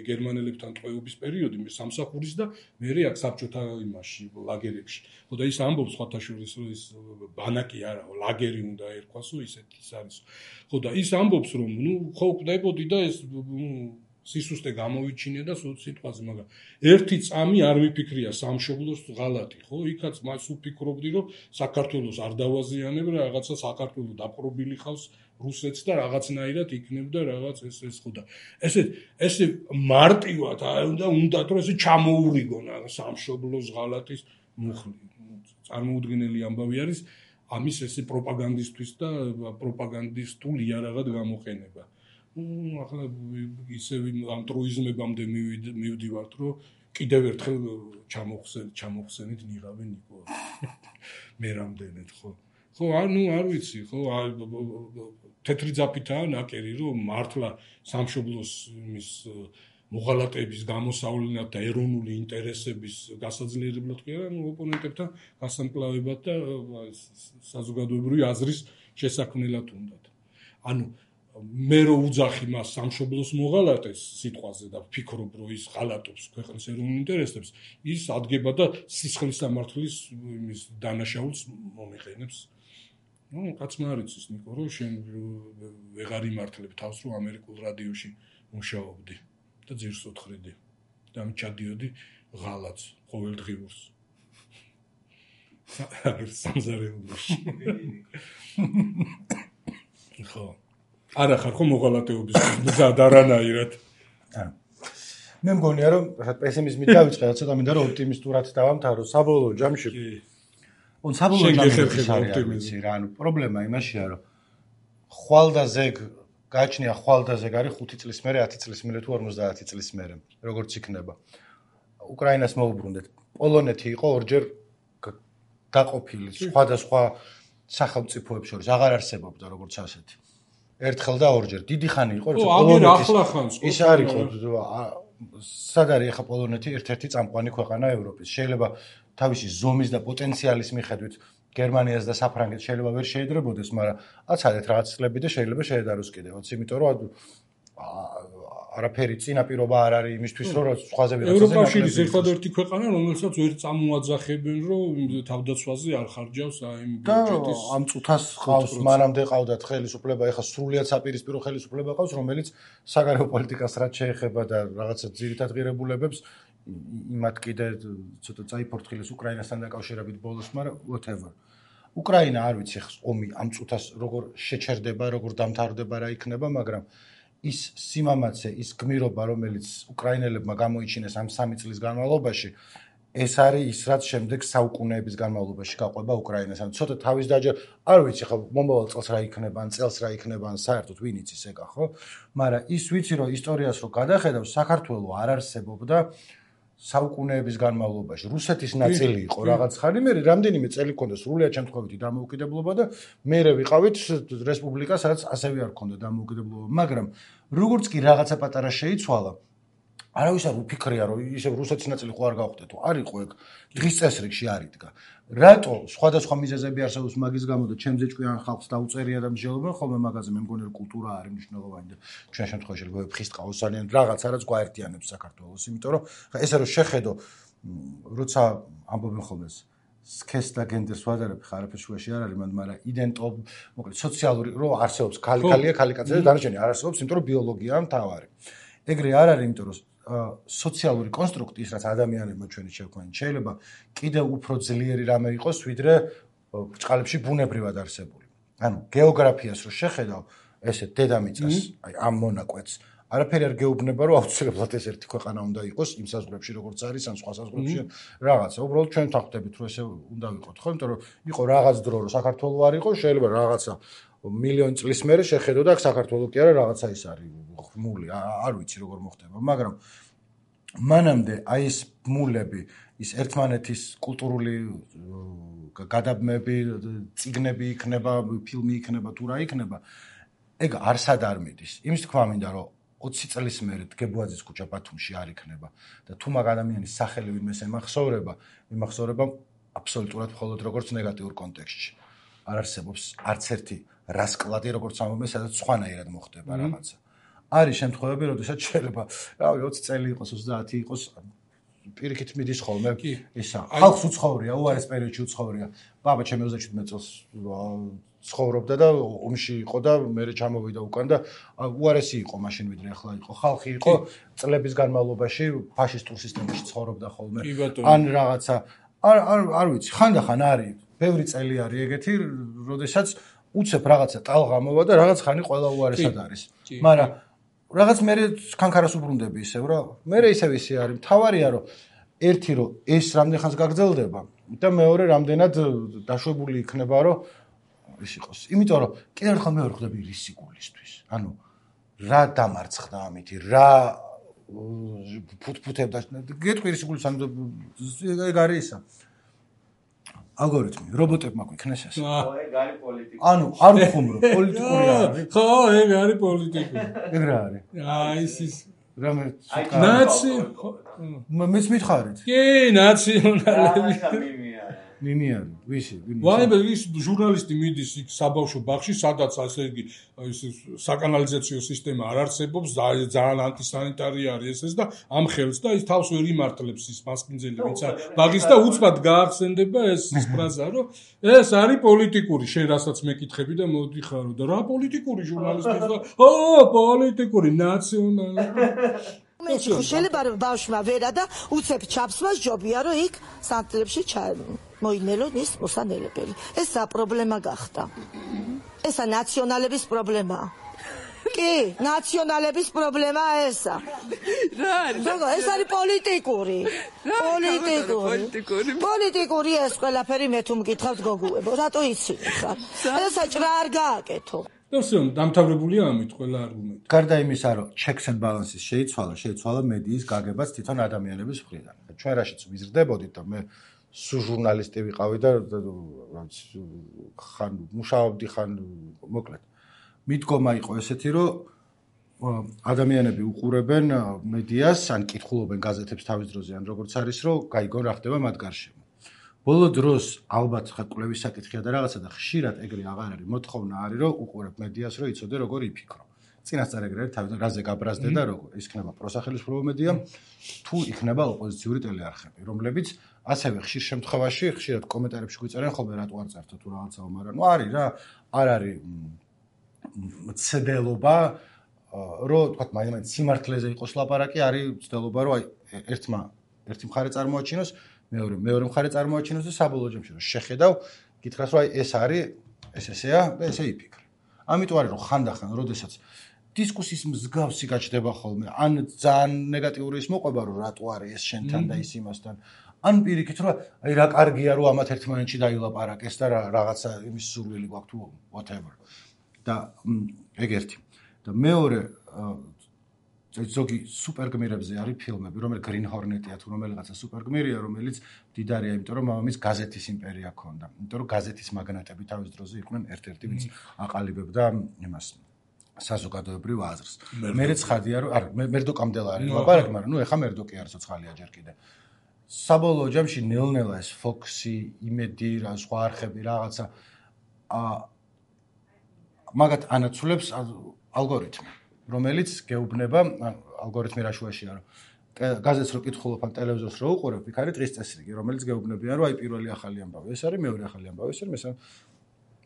გერმანელებთან ტყვეობის პერიოდი მე სამსახურის და მე აქ საბჭოთა იმაში ლაგერებში ხო და ის ამბობს ხათაშვილის რომ ის ბანაკი არა ლაგერი უნდა ერქვასო ისეთი ის არის ხო და ის ამბობს რომ ნუ ხო უკვდებოდი და ეს სისუსტე გამოვიჩინე და სიტყვაზე მაგრამ ერთი წამი არ ვიფიქრია სამშობლოს ღალატი ხო იქაც მას ვფიქრობდი რომ საქართველოს არ დავაზიანებ რა რაღაცა საქართველოს დაპყრობილი ხავს რუსეთს და რაღაცნაირად იქნებდა რაღაც ეს ხო და ესე მარტივად უნდა რომ ესე ჩამოურიგონ სამშობლოს ღალატის მუხლი წარმოუდგენელი ამბავი არის ამის ესე პროპაგანდისტვის და პროპაგანდისტული იარაღად გამოყენება ახლა ისე ამ ტროიზმებამდე მივდივართ რომ კიდევ ერთხელ ჩამოხსენით ნიღავი ნიკო მე რამდენად ხო არ ვიცი ხო თეთრი ძაფითაა ნაკერი რომ მართლა სამშობლოს იმის მოღალატეების გამოსავლენად და ეროვნული ინტერესების გასაძლიერებლად კი არა ოპონენტებთან გასამკლავებად და საზოგადოებრივი აზრის შესაქმნელად უნდათ ანუ მე რო უძახი მას სამშობლოს მოღალატეს სიტყვაზე და ვფიქრობ რომ ის ღალატობს ქვეყნის ეროვნულ ინტერესებს ის ადგება და სისხლის სამართლის იმის დანაშაულს მომიყენებს ნუ კაცმა არ იცის ნიკო რომ შენ ვეღარ იმართლებ თავს რომ ამერიკულ რადიოში მუშაობდი და ძირს უთხრიდი და ჩადიოდი ღალატს ყოველდღიურს სამზარეულოში. ხო. არა ხარ ხო მოღალატეობის მზად არანაირად. მე მგონია რომ პესიმიზმით დავიწყე, ცოტა მინდა რომ ოპტიმისტურად დავამთავრო საბოლოო ჯამში. საბოლოო ჯამში რა, პრობლემა იმაშია რომ ხვალდაზეგ გააჩნია ხვალდაზეგ არის 5 წლის მერე, 10 წლის მერე თუ 50 წლის მერე, როგორც იქნება. უკრაინას მოუბრუნდეთ. პოლონეთი იყო ორჯერ გაყოფილი სხვადასხვა სახელმწიფოებს შორის, აღარ არსებობდა როგორც ასეთი. ერთხელ და ორჯერ. დიდი ხანი იყო, როცა პოლონეთის ის არ იყო, სად არის ახლა პოლონეთი ერთ-ერთი წამყვანი ქვეყანა ევროპის. შეიძლება თავისი ზომის და პოტენციალის მიხედვით გერმანიას და საფრანგეთს შეიძლება ვერ შეედრებოდეს, მაგრამ აცადეთ რაღაც წლები და შეიძლება შეედაროს კიდევაც, იმიტომ რომ არაფერი წინაპირობა არ არის იმისთვის, რომ სხვაზე ვიღაცაზე ევროკავშირის ერთადერთი ქვეყანა, რომელსაც ვერ წამოაძახებენ, რომ თავდაცვაზე არ ხარჯავს იმ ბიუჯეტის. ამ წუთას ყავს, მანამდე ყავდათ ხელისუფლება, ეხლა სრულიად საპირისპირო ხელისუფლება ყავს, რომელიც საგარეო პოლიტიკას რაც შეეხება და რაღაცა ძირითად ღირებულებებს იმათ კიდე ცოტა წაიფორთხილეს უკრაინასთან დაკავშირებით ბოლოს, მაგრამ whatever. უკრაინა არ ვიცი ომი ამ წუთას როგორ შეჩერდება, როგორ დამთავრდება რა იქნება, მაგრამ ის სიმამაცე, ის გმირობა, რომელიც უკრაინელებმა გამოიჩინეს ამ 3 წლის განმავლობაში, ეს არის ის, რაც შემდეგ საუკუნეების განმავლობაში გაყვება უკრაინას. ან ცოტა თავის დაჯერ, არ ვიცი ხო, მომავალ წელს რა იქნება, ან წელს რა იქნება, ან საერთოდ ვინ იცის ეგა, ხო? მაგრამ ის ვიცი, რომ ისტორიას რო გადახედავ, საქართველოს არ არსებობდა საუკუნეების განმავლობაში. რუსეთის ნაწილი იყო რაღაც ხანი, მე რამდენიმე წელი ქონდა სრულიად შემთხვევითი დამოუკიდებლობა და მე ვიყავით რესპუბლიკა, სადაც ასევე არ ქონდა დამოუკიდებლობა, მაგრამ როგორც კი რაღაცა პატარა შეიცვალა, არავის არ უფიქრია, რომ ისევ რუსეთის ნაწილი ხო არ გავხდეთ, არ იყო ეგ დღის წესრიგში არ იდგა. რატო სხვადასხვა მიზეზები არსებობს მაგის გამო და ჩემზე ჭკვიან ხალხს დაუწერია და მსჯელობენ ხოლმე მაგაზე, მე მგონი რომ კულტურა არის მნიშვნელოვანი და ჩვენ შემთხვევაში როგორ ფხისტყაოს ძალიან რაღაცა რაც გვაერთიანებს საქართველოს, იმიტომ რომ ესე რომ შეხედო, როცა ამბობენ ხოლმე სქესს და გენდერს ვადარებ, არაფერ შუაში არ არის, მაგრამ იდენტო, მოკლედ სოციალური რომ არსებობს ქალი-ქალია, ქალი-კაცია და დანარჩენი არ არსებობს, იმიტომ რომ ბიოლოგიაა მთავარი. ეგრე არ არის, იმიტომ რომ სოციალური კონსტრუქტი ის რაც ადამიანებმა ჩვენი შევქმნით შეიძლება კიდევ უფრო ძლიერი რამე იყოს ვიდრე ბრჭყალებში ბუნებრივად არსებული. ანუ გეოგრაფიას რო შეხედავ, ესე დედამიწას, აი ამ მონაკვეთს, არაფერი არ გეუბნება რომ აუცილებლად ეს ერთი ქვეყანა უნდა იყოს იმ საზღვრებში როგორც არის ან სხვა საზღვრებში რაღაცა. უბრალოდ ჩვენ თანხმდებით რომ ესე უნდა ვიყოთ, ხო? იმიტომ რომ იყო რაღაც დრო რომ საქართველოს არ იყო, შეიძლება რაღაცა მილიონი წლის მერე შეხედო და საქართველოს კი არა რაღაცა ის არის ხმული, არ ვიცი როგორ მოხდება, მაგრამ მანამდე აი ეს ბმულები, ის ერთმანეთის კულტურული გადაბმები, წიგნები იქნება, ფილმი იქნება, თუ რა იქნება, ეგ არსად არ მიდის. იმის თქმა მინდა რომ 20 წლის მერე დგებუაძის ქუჩა ბათუმში არ იქნება და თუ მაგ ადამიანის სახელი ვინმეს ემახსოვრება, იმახსოვრება აბსოლუტურად მხოლოდ როგორც ნეგატიურ კონტექსტში. არ არსებობს არც ერთი რასკლადი, როგორც ამბობენ, სადაც სხვანაირად მოხდება რაღაცა. არის შემთხვევები, როდესაც შეიძლება, რავი, 20 წელი იყოს, 30 იყოს, პირიქით მიდის ხოლმე ისა. ხალხს უცხოვრია, უარეს პერიოდში უცხოვრია. ბაბა ჩემი 37 წელს ცხოვრობდა და ომში იყო და მე ჩამოვიდა უკან და უარესი იყო მაშინ ვიდრე ახლა იყო. ხალხი იყო წლების განმავლობაში ფაშისტურ სისტემაში ცხოვრობდა ხოლმე. ან რაღაცა არ ვიცი, ხანდახან არის, ბევრი წელი არის ეგეთი, როდესაც უცებ რაღაცა ტალღა მოვა და რაღაც ხანი ყველა უარესად არის. მაგრამ რაღაც მე კანკარას უბრუნდები ისევ რა. მე ისევ ისე არის. მთავარია რომ ერთი რომ ეს რამდენ ხანს გაგრძელდება და მეორე რამდენად დაშვებული იქნება რომ ის იყოს. იმიტომ რომ კიდევ ერთხელ მე ვერ ხვდები რისი გულისთვის. ანუ რა დამარცხდა ამითი, რა ფუთფუთებდა. გეტყვი რისი გულის ანუ ეგ არის ისა. ალგორითმი, რობოტებმა გვიქნეს ეს. ეგ არის პოლიტიკა. ანუ არ ვხუმრო, პოლიტიკური არის. ხო, ეგ არის პოლიტიკური. ეგ რა არის? აი ის რამე ნაცი მეც მითხარით. კი, ნაციონალები. მიმი არის. ვისი? ვაიმე ის ჟურნალისტი მიდის იქ საბავშვო ბაღში, სადაც ასე იგი საკანალიზაციო სისტემა არ არსებობს, ძალიან ანტისანიტარი არის ეს და ამ ხელს და ის თავს ვერ იმართლებს ის მასპინძელი ვინც არის ბაღის და უცბად გაახსენდება ეს ფრაზა, რომ ეს არის პოლიტიკური, შენ რასაც მეკითხები და მოდიხარო და რა პოლიტიკური ჟურნალისტი ხარ? ო, პოლიტიკური, ნაციონალური. შეიძლება რომ ბავშვმა ვერა და უცებ ჩაფსვას ჯობია რომ იქ სანტლებში მოინელონ ის მოსანელებელი. ესა პრობლემა გახდა. ესა ნაციონალების პრობლემაა. კი, ნაციონალების პრობლემაა ესა. რა არის? ეს არის პოლიტიკური. პოლიტიკური ეს ყველაფერი მე თუ მკითხავთ გოგუებო, რატო იცინი ხარ? ესა ჭრა არ გააკეთო. ნუ დამთავრებულია ამით ყველა არგუმენტი. გარდა იმისა, რომ checks and balances შეიცვალა მედიის გაგებაც თვითონ ადამიანების მხრიდან. ჩვენ რაშიც ვიზრდებოდით და მე სუ ჟურნალისტი ვიყავი და ხან მუშაობდი ხან მოკლედ. მიდგომა იყო ესეთი, რომ ადამიანები უყურებენ მედიას, ან კითხულობენ გაზეთებს თავის დროზე, ან როგორც არის, რომ გაიგონ რა ხდება მათ გარშემო. ბოლო დროს ალბათ ხა კვლევის საკითხია და რაღაცა და ხშირად ეგრე აღარ არის, მოთხოვნა არის, რომ უყურებ მედიას, რომ იცოდე როგორ იფიქრო. წინასწარ ეგრე არის, თავიდან რაზე გაბრაზდე და როგორ იქნება პროსახელისმშობლო მედია, თუ იქნება ოპოზიციური ტელეარხები, რომლებიც ასევე ხშირ შემთხვევაში ხშირად კომენტარებში გვიწერენ ხოლმე რატო არ წერთ თუ რაღაცაო, მაგრამ ნუ არის რა, არ არის ცდელობა, რომ თქვათ მაინც სიმართლეზე იყოს ლაპარაკი, არის ცდელობა, რომ აი ერთი მხარე წარმოაჩინოს, მეორე მხარე წარმოაჩინოს და საბოლოო ჯამში რომ შეხედავ, გითხრას რომ აი ეს არის, ესეა და ესე იფიქრე. ამიტომ არის რომ ხანდახან, როდესაც დისკუსიის მსგავსი გაჩნდება ხოლმე, ან ძალიან ნეგატიური ის მოყვება, რომ რატო არის ეს შენთან და ის იმასთან, ან პირიქით რომ აი რა კარგია რომ ამათ ერთმანეთში დაილაპარაკეს და რაღაცა იმის სურვილი გვაქვს თუ whatever. და ეგ ერთი. და მეორე ზოგი სუპერგმირებზე არის ფილმები, რომელიც Green Hornet-ია თუ რომელიღაცა სუპერგმირია, რომელიც მდიდარია, იმიტომ რომ მამამის გაზეთის იმპერია ჰქონდა. იმიტომ რომ გაზეთის მაგნატები თავის დროზე იყვნენ ერთ-ერთი, ვინც აყალიბებდა იმას საზოგადოებრივ აზრს. მერე ცხადია, რომ მერდოკამდელა არის ლაპარაკი, მაგრამ ნუ ეხა მერდოკი არ ცოცხალია ჯერ კიდე. საბოლოო ჯამში ნელ-ნელა ეს Fox-ი, იმედი, რა სხვა არხები რაღაცა მაგათ ანაცვლებს ალგორითმი, რომელიც გეუბნება, ალგორითმი რა შუაშია, რომ გაზეთს რო კითხულობ ან ტელევიზორს რო უყურებ, იქ არის დღის წესრიგი, რომელიც გეუბნებიან, რომ აი პირველი ახალი ამბავი, ეს არის მეორე ახალი ამბავი, ეს არის მესამე.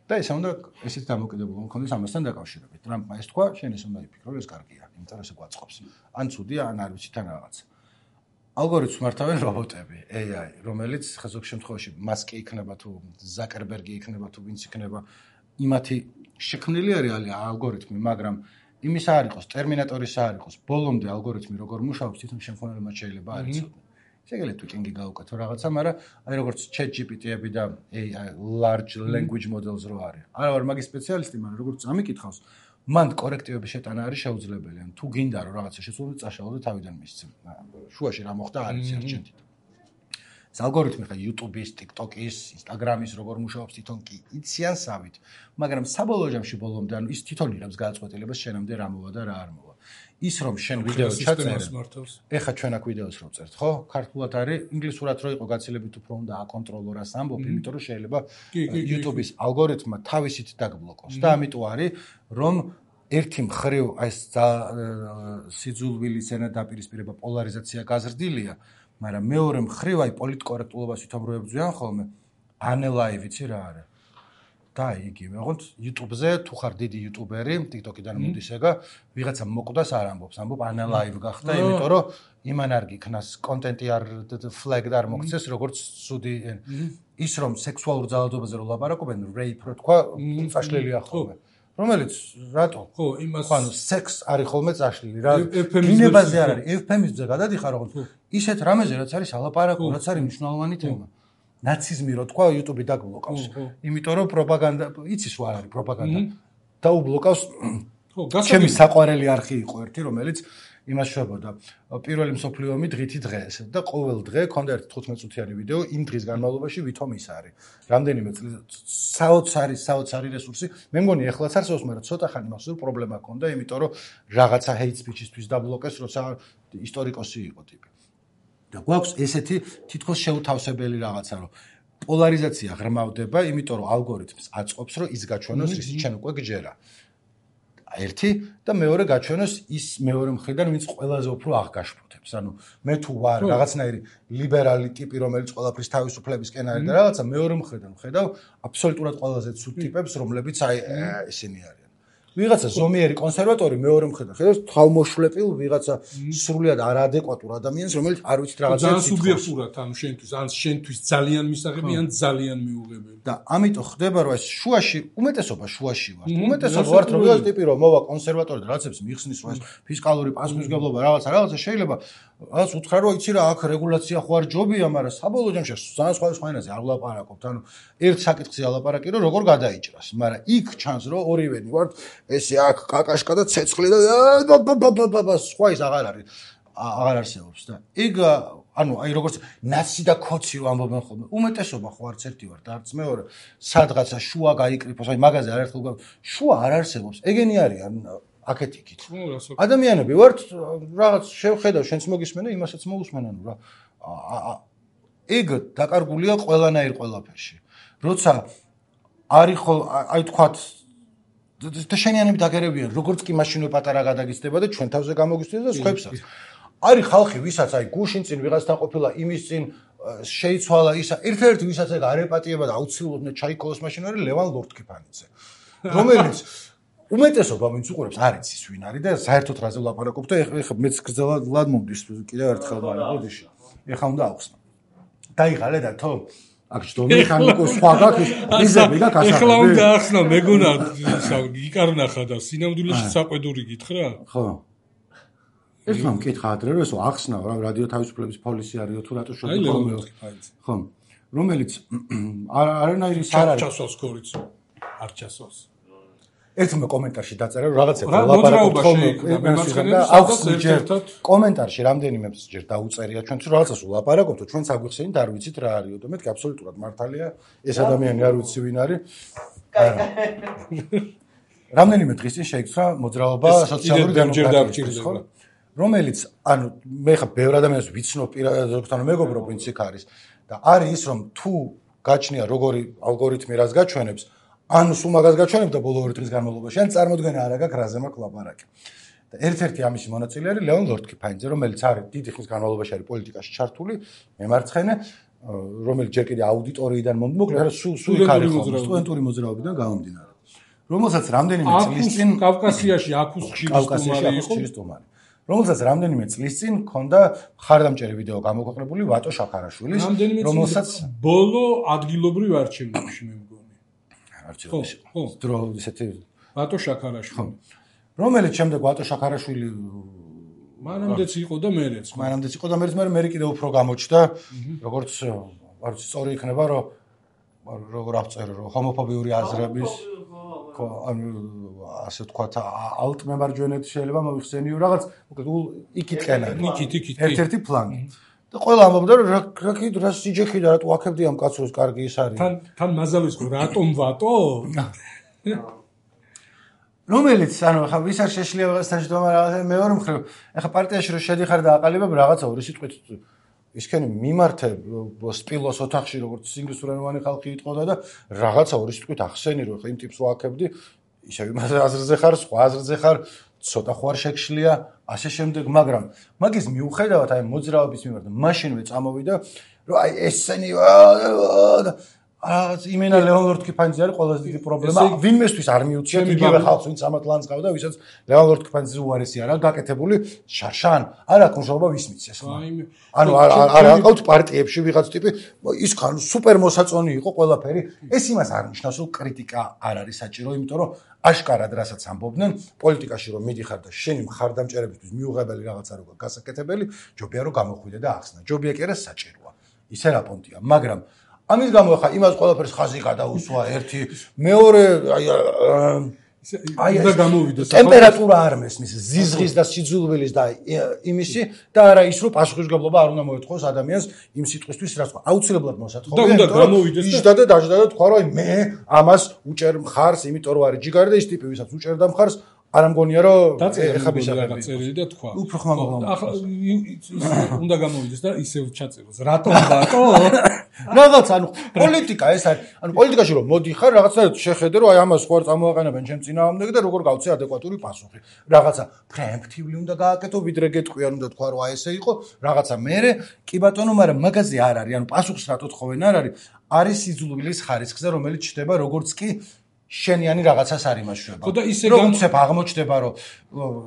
და ეს უნდა ესეთ დამოკიდებულება მქონდეს ამასთან დაკავშირებით. ტრამპმა ეს თქვა, შენ ეს უნდა იფიქრო, ეს კარგია, იმიტომ რომ ეს გვაწყობს. ან ცუდია, ან არ ვიცი თან რაღაცა. ალგორითმს მართავენ რობოტები, AI, რომელიც ზოგ შემთხვევაში მასკი იქნება თუ ზაკერბერგი იქნება თუ ვინც იქნება, იმათი შექმნილი არის ალგორითმი, მაგრამ იმის არ იყოს, ტერმინატორის არ იყოს, ბოლომდე ალგორითმი როგორ მუშაობს, თვითონ შემქმნელებმა შეიძლება არ იცოდნენ. შეგიძლიათ ტვიკინგი გავუკეთო რაღაცა, მაგრამ აი როგორც ChatGPT-ები და AI, large language models რო არის. არა ვარ მაგის სპეციალისტი, მაგრამ როგორც წამიკითხავს, მან კორექტივების შეტანა არის შეუძლებელი. ან თუ გინდა რომ რაღაცა შეცვალო, წაშალო და თავიდან მისცემ. შუაში რა მოხდა არ იცი არჩენთით. ეს ალგორითმი ხა YouTube-ის, TikTok-ის, Instagram-ის როგორ მუშაობს თვითონ კი იციან სავით, მაგრამ საბოლოო ჯამში ბოლომდე ანუ ის თვითონ იღებს გადაწყვეტილებას შენამდე რა მოვა და რა არ მოვა. ის რომ შენ ვიდეო ჩაწერე, ეხა ჩვენ აქ ვიდეოს რო წერთ, ხო? ქართულად არის, ინგლისურად რო იყო გაცილებით უფრო უნდა აკონტროლო რას ამბობ, იმიტომ რომ შეიძლება YouTube-ის ალგორითმმა თავისით დაგბლოკოს და ამიტომ არის რომ ერთი მხრივ აი ეს სიძულვილის ენა დაპირისპირება პოლარიზაცია გაზრდილია, მაგრამ მეორე მხრივ აი პოლიტკორექტულობას თვითონ რო ებრძვიან ხოლმე, ანელაივ იცი რა არის. და იგივე, ოღონდ YouTube-ზე თუ ხარ დიდი YouTuber-ი, TikTok-დან მოდის ეგა, ვიღაცა მოკვდას არ ამბობს, ამბობ ანალაივ გახდა, იმიტომ რომ იმან არ გიქნას კონტენტი არ flag-ად არ მოქცეს, როგორც ცუდი ის რომ სექსუალურ ძალადობაზე რო ლაპარაკობენ, rape რო თქვა, წაშლილია ხოლმე. რომელიც რატო? ხო, იმას ანუ სექს არის ხოლმე წაშლილი რა. დინებაზე არ არის, ეუფემიზმზე გადადიხარ, ოღონდ ისეთ რამეზე რაც არის ალაპარაკო, რაც არის მნიშვნელოვანი თემა. ნაციზმი რო თქვა YouTube-ი დაგბლოკავს. იმიტომ რომ პროპაგანდა, იცის რა არის პროპაგანდა. დაუბლოკავს. ხო, ჩემი საყვარელი არხი იყო ერთი, რომელიც იმას შვებოდა. პირველი მსოფლიო ომი დღითი დღეს და ყოველ დღე ქონდა ერთი 15 წუთიანი ვიდეო იმ დღის განმავლობაში ვითომ ის არის. რამდენიმე საოცარი რესურსი. მე მგონი ეხლაც არსებობს, მაგრამ ცოტა ხანი მასურ პრობლემა ჰქონდა, იმიტომ რომ რაღაცა hate speech-ისთვის დაბლოკეს, როცა ისტორიკოსი იყო ტიპი. და გვაქვს ესეთი თითქოს შეუთავსებელი რაღაცა, რომ პოლარიზაცია ღრმავდება, იმიტომ რომ ალგორითმს აწყობს, რომ ის გაჩვენოს, რის ჩვენ უკვე გჯერა. ერთი და მეორე გაჩვენოს ის მეორე მხრიდან, ვინც ყველაზე უფრო აღგაშფოთებს. ანუ მე თუ ვარ რაღაცნაირი ლიბერალი ტიპი, რომელიც ყველაფრის თავისუფლებისკენ არის და რაღაცა მეორე მხრიდან ვხედავ აბსოლუტურად ყველაზე ცუდ ტიპებს, რომლებიც აი ისინი არიან. ვიღაცა ზომიერი კონსერვატორი მეორე მხრიდან ხედავს თავმოშლეპილ ვიღაცა სრულიად არაადეკვატურ ადამიანს, რომელიც არ ვიცით რაღაცა ძალიან სუბიექტურად, ანუ შენთვის ძალიან მისაღები ან ძალიან მიუღებელი. და ამიტომ ხდება რომ ეს შუაში უმეტესობა ვართ. უმეტესობა ვართ რომ ვიღაც ტიპი რომ მოვა კონსერვატორად რაღაცებს მიხსნის რომ ეს ფისკალური პასუხისმგებლობა რაღაცა შეიძლება რაღაც უთხრა რომ იცი რა აქ რეგულაცია ხო არ ჯობია, მაგრამ საბოლოო ჯამში ძალიან სხვა ენაზე არ ვლაპარაკობთ. ანუ ერთ საკითხზე ალაპარაკი რომ როგორ გადაიჭრას, მაგრამ იქ ჩანს რომ ორივენი ვართ ესე აქ კაკაშკა და ცეცხლი და სხვა ის აღარ არსებობს და იქ ანუ აი როგორც ნაცი და ქოცი რო ამბობენ ხოლმე უმეტესობა ხო არც ერთი ვარ და არც მეორე სადღაცა შუა გაიკრიფოს აი მაგაზე არაერთხელ შუა არ არსებობს ეგენი არიან აქეთ იქით ადამიანები ვართ რაღაც შევხედავ შენც მოგისმენ და იმასაც მოусმენ ანუ რა ეგ დაკარგულია ყველანაირ ყველაფერში როცა არის ხო აი თქვათ და შენიანები დაგერებიან როგორც კი მაშინვე პატარა გადაგიცდება და ჩვენ თავზე გამოგისწრებს და სხვებსაც არის ხალხი ვისაც აი გუშინ წინ ვიღაცთან ყოფილა იმის წინ შეიცვალა ისა ერთ-ერთი ვისაც ეგ არ ეპატიება და აუცილებლად ჩაიქოლოს მაშინ არის ლევან ლორდ-კიფანიძე რომელიც უმეტესობა ვინც უყურებს არ იცის ვინ არის და საერთოდ რაზე ვლაპარაკობ და ეხლა მეც გზელად მომდის კიდევ ერთხელ მაგრამ ოდიში ეხლა უნდა ავხსნა დაიღალე და თო აქ ჯდომი ხანიკო სხვა გაქვს იზები და გასახები ეხლა უნდა ახსნა მეგონა იკარნახა და სინამდვილეში საყვედური გითხრა ხო ეს მომ კითხა ადრე რომ ესო ახსნა რა რადიო თავისუფლების პოლისი არისო თუ რატო შევდივარ ხო რომელიც არანაირი არ არის ჩასვას ქორიც არ ჩასვას ერთმა კომენტარში დაწერა რომ რაღაცა ლაპარაკობ ხოლმე და ახსნა ერთად კომენტარში რამდენიმეც ჯერ დაუწერია ჩვენც რომ რაღაცას ვლაპარაკობთ ჩვენც აგვიხსენით არ ვიცით რა არისო და მეთქი აბსოლუტურად მართალია ეს ადამიანი არ ვიცი ვინ არის რამდენიმე დღის წინ შეიქმნა მოძრაობა სოციალური დემოკრატიის ხო რომელიც ანუ მე ხა ბევრ ადამიანს ვიცნობ პირადად მეგობრობ ვინც იქ არის და არის ის რომ თუ გაჩნია როგორი ალგორითმი რას გაჩვენებს ანუ სულ მაგას გაჩვენებ და ბოლო 2 დღის განმავლობაში ან წარმოდგენა არ აქვს რაზე მაქვს ლაპარაკი და ერთ-ერთი ამისი მონაწილე არის ლევან ლორდ-კიფანიძე რომელიც არის დიდი ხნის განმავლობაში არის პოლიტიკაში ჩართული მემარცხენე რომელიც ჯერ კიდე აუდიტორიიდან მოკლედ სულ იქ არის ხოლმე სტუდენტური მოძრაობიდან გამომდინარე რომელსაც რამდენიმე წლის წინ კავკასიაში აქუს ხილის სტუმარი რომელსაც რამდენიმე წლის წინ ქონდა მხარდამჭერი ვიდეო გამოქვეყნებული ვატო შაქარაშვილის რომელსაც ბოლო ადგილობრივ არჩევნებში მე მგონი არჩევნებში დრო ისეთი ვატო შაქარაშვილი რომელიც შემდეგ ვატო შაქარაშვილი მანამდეც იყო და მერეც მე კიდევ უფრო გამოჩნდა როგორც არ ვიცი სწორი იქნება რომ როგორ აღწერო რომ ჰომოფობიური აზრების ხო ანუ ასე ვთქვათ ალტმემარჯვენეთ შეიძლება მოიხსენიო რაღაც მოკლედ იქითკენ იქით ერთ-ერთი ფლანგი და ყველა ამბობდა რომ რა სიჯექი და რატო აქებდი ამ კაცოს კარგი ის არის თან მაზალს ხო რატომ ვატო რომელიც ანუ ხა ვის არ შეშლია ვიღაცთან შედომა რაღაცა მეორე მხრივ ეხა პარტიაში რო შედიხარ და აყალიბებ რაღაცა ორი სიტყვით ისქენი მიმართე სპილოს ოთახში როგორც ინგლისურენოვანი ხალხი იტყოდა და რაღაცა ორი სიტყვით ახსენი რომ ხა იმ ტიპს ვააკებდი ისე იმაზე აზრზე ხარ სხვა აზრზე ხარ ცოტა ხო არ შეგშლია ასე შემდეგ მაგრამ მაგის მიუხედავად აი მოძრაობის მიმართ მაშინვე წამოვიდა რომ აი ესენი იმენა ლევან ლორდ-კიფანიძე არის ყველაზე დიდი პრობლემა ვინმესთვის არ მიუციათ იგივე ხალხს ვინც ამათ ლანს ყავდა ვისაც ლევან ლორდ-კიფანიძე უარესი არა გაკეთებული შარშან არ აქვს მშობა ვის მიცეს ანუ არ აყავთ პარტიებში ვიღაც ტიპი ის ხან სუპერ მოსაწონი იყო ყველაფერი ეს იმას არ ნიშნავს რომ კრიტიკა არ არის საჭირო იმიტომ რომ აშკარად რასაც ამბობდნენ პოლიტიკაში რომ მიდიხარ და შენი მხარდამჭერებისთვის მიუღებელი რაღაცა როგორ გასაკეთებელი ჯობია რომ გამოხვიდე და ახსნა ჯობია კი არა საჭიროა ისე რა პონტია მაგრამ ამის გამო ხა იმას ყველაფერს ხაზი გადაუსვა ერთი მეორე აი და გამოვიდეს ტემპერატურა არ მესმის ზიზღის და სიძულვილის და იმისი და არა ის რომ პასუხისმგებლობა არ უნდა მოეთხოვოს ადამიანს იმ სიტყვისთვის რაც აუცილებლად მოსათხოვია და უნდა გამოვიდეს და დაждდა და თქვა რომ აი მე ამას უჭერ მხარს იმიტომ რომ არის ჯიგარი და ის ტიპი ვისაც უჭერდა მხარს არ ამგონია რომ ეხა ბიზარები წერილი და თქვა უფრო ხმამაღლა ახლა უნდა გამოვიდეს და ისევ ჩაწეროს რატომ ბატო რაღაც ანუ პოლიტიკა ეს არის ანუ პოლიტიკაში რომ მოდიხარ რაღაცა შეხედე რომ აი ამას ხო არ წამოაყენებენ ჩემ წინააღმდეგ და როგორ გავცე ადეკვატური პასუხი რაღაცა პრემპტიული უნდა გააკეთო ვიდრე გეტყვიან უნდა თქვა რომ აი ესე იყო რაღაცა მერე კი ბატონო მაგრამ მაგაზე არ არის ანუ პასუხს რატო თხოვენ არ არის სიძულვილის ხარისხზე რომელიც ჩდება როგორც კი შენიანი რაღაცას არ იმაშვრება. ხო და ისე უცებ აღმოჩნდება რომ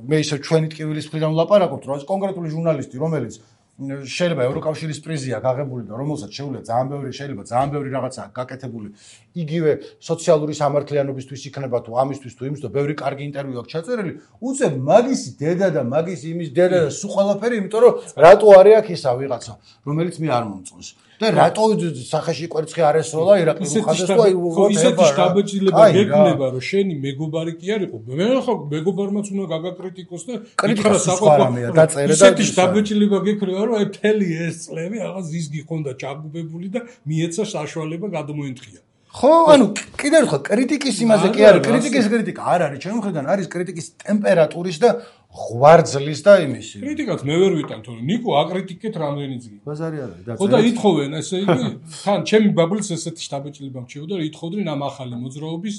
მე ისე ჩვენი ტკივილის მხრიდან ვლაპარაკობთ, რომ ეს კონკრეტული ჟურნალისტი, რომელიც შეიძლება ევროკავშირის პრიზია გაღებული და რომელსაც შეიძლება ძალიან ბევრი რაღაცაა გაკეთებული, იგივე სოციალური სამართლიანობისთვის იქნება თუ ამისთვის თუ იმისთვის, ბევრი კარგი ინტერვიუ აქვს ჩაწერილი, უცებ მაგისი დედა და მაგისი იმის დედა და სულ ყველაფერი, იმიტომ რომ რატო არის აქ ისა ვიღაცა, რომელიც მე არ მომწონს. და რატო სახეში კვერცხი არ ესროლა ირაკლი ხაზეს თუ აი ისეთი შტაბეჭილება გეკნება რომ შენი მეგობარი კი არ იყო მე ხო მეგობარმაც უნდა გაგაკრიტიკოს და ითხრა საყვარამია დაწერე და ისეთი შტაბეჭილება გეკნება რომ აი მთელი ეს წლები რაღაც ის გიხონდა ჩაგუბებული და მიეცა საშუალება გადმოენთხია ხო ანუ კიდევ ერთხელ კრიტიკის იმაზე კი არის კრიტიკა არ არის ჩემი მხრიდან არის კრიტიკის ტემპერატურის და ღვარძლის და იმისი კრიტიკაც მე ვერ ვიტან თორე ნიკო აკრიტიკეთ რამდენი ძგი ბაზარი არის და ხო და ითხოვენ ესე იგი თან ჩემი ბაბლის ესეთი შტაბეჭილება მჩეოდა და ითხოვდნენ ამ ახალი მოძრაობის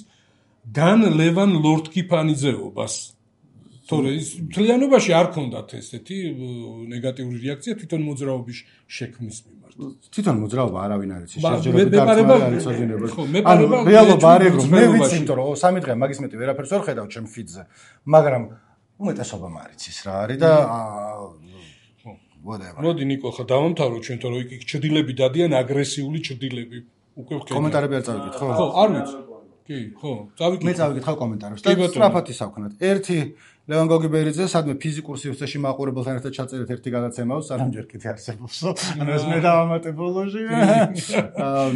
დან ლევან ლორდ-კიფანიძეობას თორე ის მთლიანობაში არ ქონდათ ესეთი ნეგატიური რეაქცია თვითონ მოძრაობის შექმნის მიმართ თვითონ მოძრაობა არავინ არ იცის შეჯერებით არის ოძინება ანუ რეალობა არის რომ მე ვიცი იმიტომ რომ 3 დღე მაგის მეტი ვერაფერს ვერ ხედავ ჩემ ფიდზე მაგრამ უმეტესობა მარიცის რა არის და whatever. მოდი ნიკო ხა დავამთავროთ ჩვენ თორე იქ ჭრდილები დადიან აგრესიული ჭრდილები უკვე ვქენია კომენტარები არ წავიკით ხო ხო არ ვიცი კი ხო წავიკით მე წავიკითხავ კომენტარებს და სწრაფად ისავქნათ ერთი ლევან გოგიბერიძე სადმე ფიზიკურ სივრცეში მაყურებელთან ერთად ჩაწერეთ ერთი გადაცემაო სანამ ჯერ კიდე არსებობს ანუ ეს მე დავამატე ბოლოში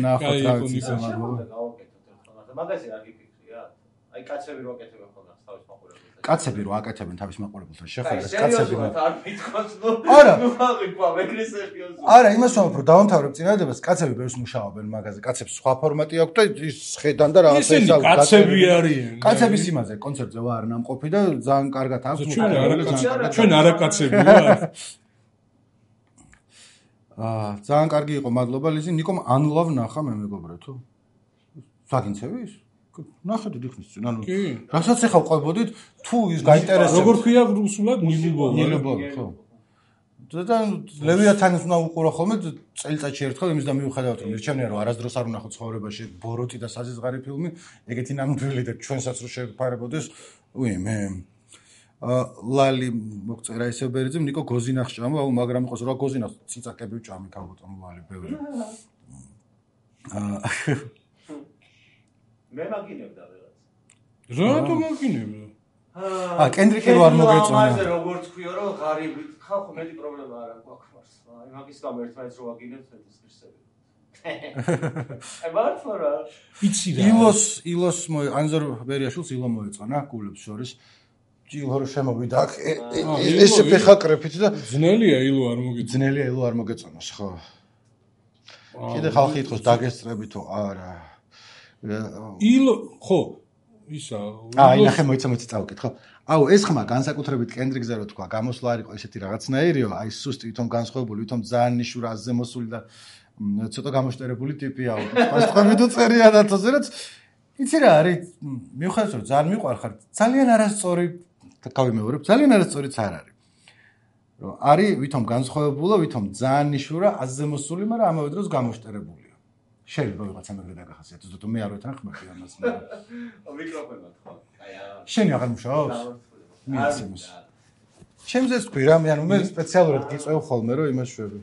ნახოთ რა ვიცი მაგაზე არ გიფიქრია აი კაცები რო აკეთებენ ხოლმე თავის მაყურებელს კაცები რო აკეთებენ თავის მაყურებელთან შეხება კაცები არ მithქოს ნუ არა ვაღიყვა მეგრე სერიოზულად არა იმას ვამბობ რომ დავამთავრებ წინადადებას კაცები ბევრს მუშაობენ მაგაზე კაცებს სხვა ფორმატი აქვს და ის ხედან და რაღაცა ისინი კაცები არიან კაცების იმაზე კონცერტზე ვარ ნამყოფი და ძალიან კარგად აქვს ჩვენ არაკაცები ვარ ძალიან კარგი იყო მადლობა ლიზი ნიკომ unlove ნახა მე მეგობრა თუ საგინცევის ნახეთ დიხნის წინ ანუ რასაც ეხავ ყვებოდით თუ ის გაინტერესებს როგორ ქვია რუსულად ნილუბოვი ხო და ლევიათანს უნდა უყურო ხოლმე წელიწადში ერთხელ იმის და მიუხედავად რომ მირჩენია რომ არასდროს არ უნახო ცხოვრებაში ბოროტი და საზღარი ფილმი ეგეთი ნამდვილი და ჩვენსაც რო შეფარებოდეს მე ლალი მოგწერა ისე ბერიძემ ნიკო გოზინახ ჭამო აუ მაგრამ იყოს რა გოზინახ ციცაკები ვჭამი ქალბატონო ლალი ბევრი მე მაგინებდა ვიღაც რატო მაგინებდა კენდრიკი რო არ მოგეწონა ამაზე როგორც ქვიო რომ ღარიბი ხალხო მეტი პრობლემა არ აქვს აი მაგის გამო ერთმანეთს რო ვაგინებთ ეს ღირსები აი მართლა რა იცი რა ილოს ანზორ ბერიაშვილს ილო მოეწონა გულებს შორის ილო რო შემოვიდა აქ ეს ფეხაკრეფით და ძნელია ილო არ მოგეწონოს ხო კიდე ხალხი ითხოვს დაგესწრები თუ არა ილო ხო ისა ნახე მოიცა წავკით ხო აუ ეს ხმა განსაკუთრებით კენდრიკზე რო თქვა გამოსვლა არ იყო ესეთი რაღაცნაირიო აი სუსტი ვითომ განსხვავებული ვითომ ძალიან ნიშურა აზზე მოსული და ცოტა გამოშტერებული ტიპია პასტყვები თუ წერია და თოზერაც იცი რა არის მიუხედავად რომ ძალიან მიყვარხარ ძალიან არასწორი გავიმეორებ ძალიან არასწორიც არ არის რომ არის ვითომ განსხვავებულა ვითომ ძალიან ნიშურა აზზე მოსული მაგრამ ამავე დროს გამოშტერებული შეიძლება ვიღაცა მეგრე დაგახასიათოს თუ მე არ ვეთანხმები ამას მიკროფონად ხო აი შენი აღარ მუშაობს მიეცემს ჩემზე თქვი რა მე ანუ მე სპეციალურად გიწევ ხოლმე რომ იმას შვები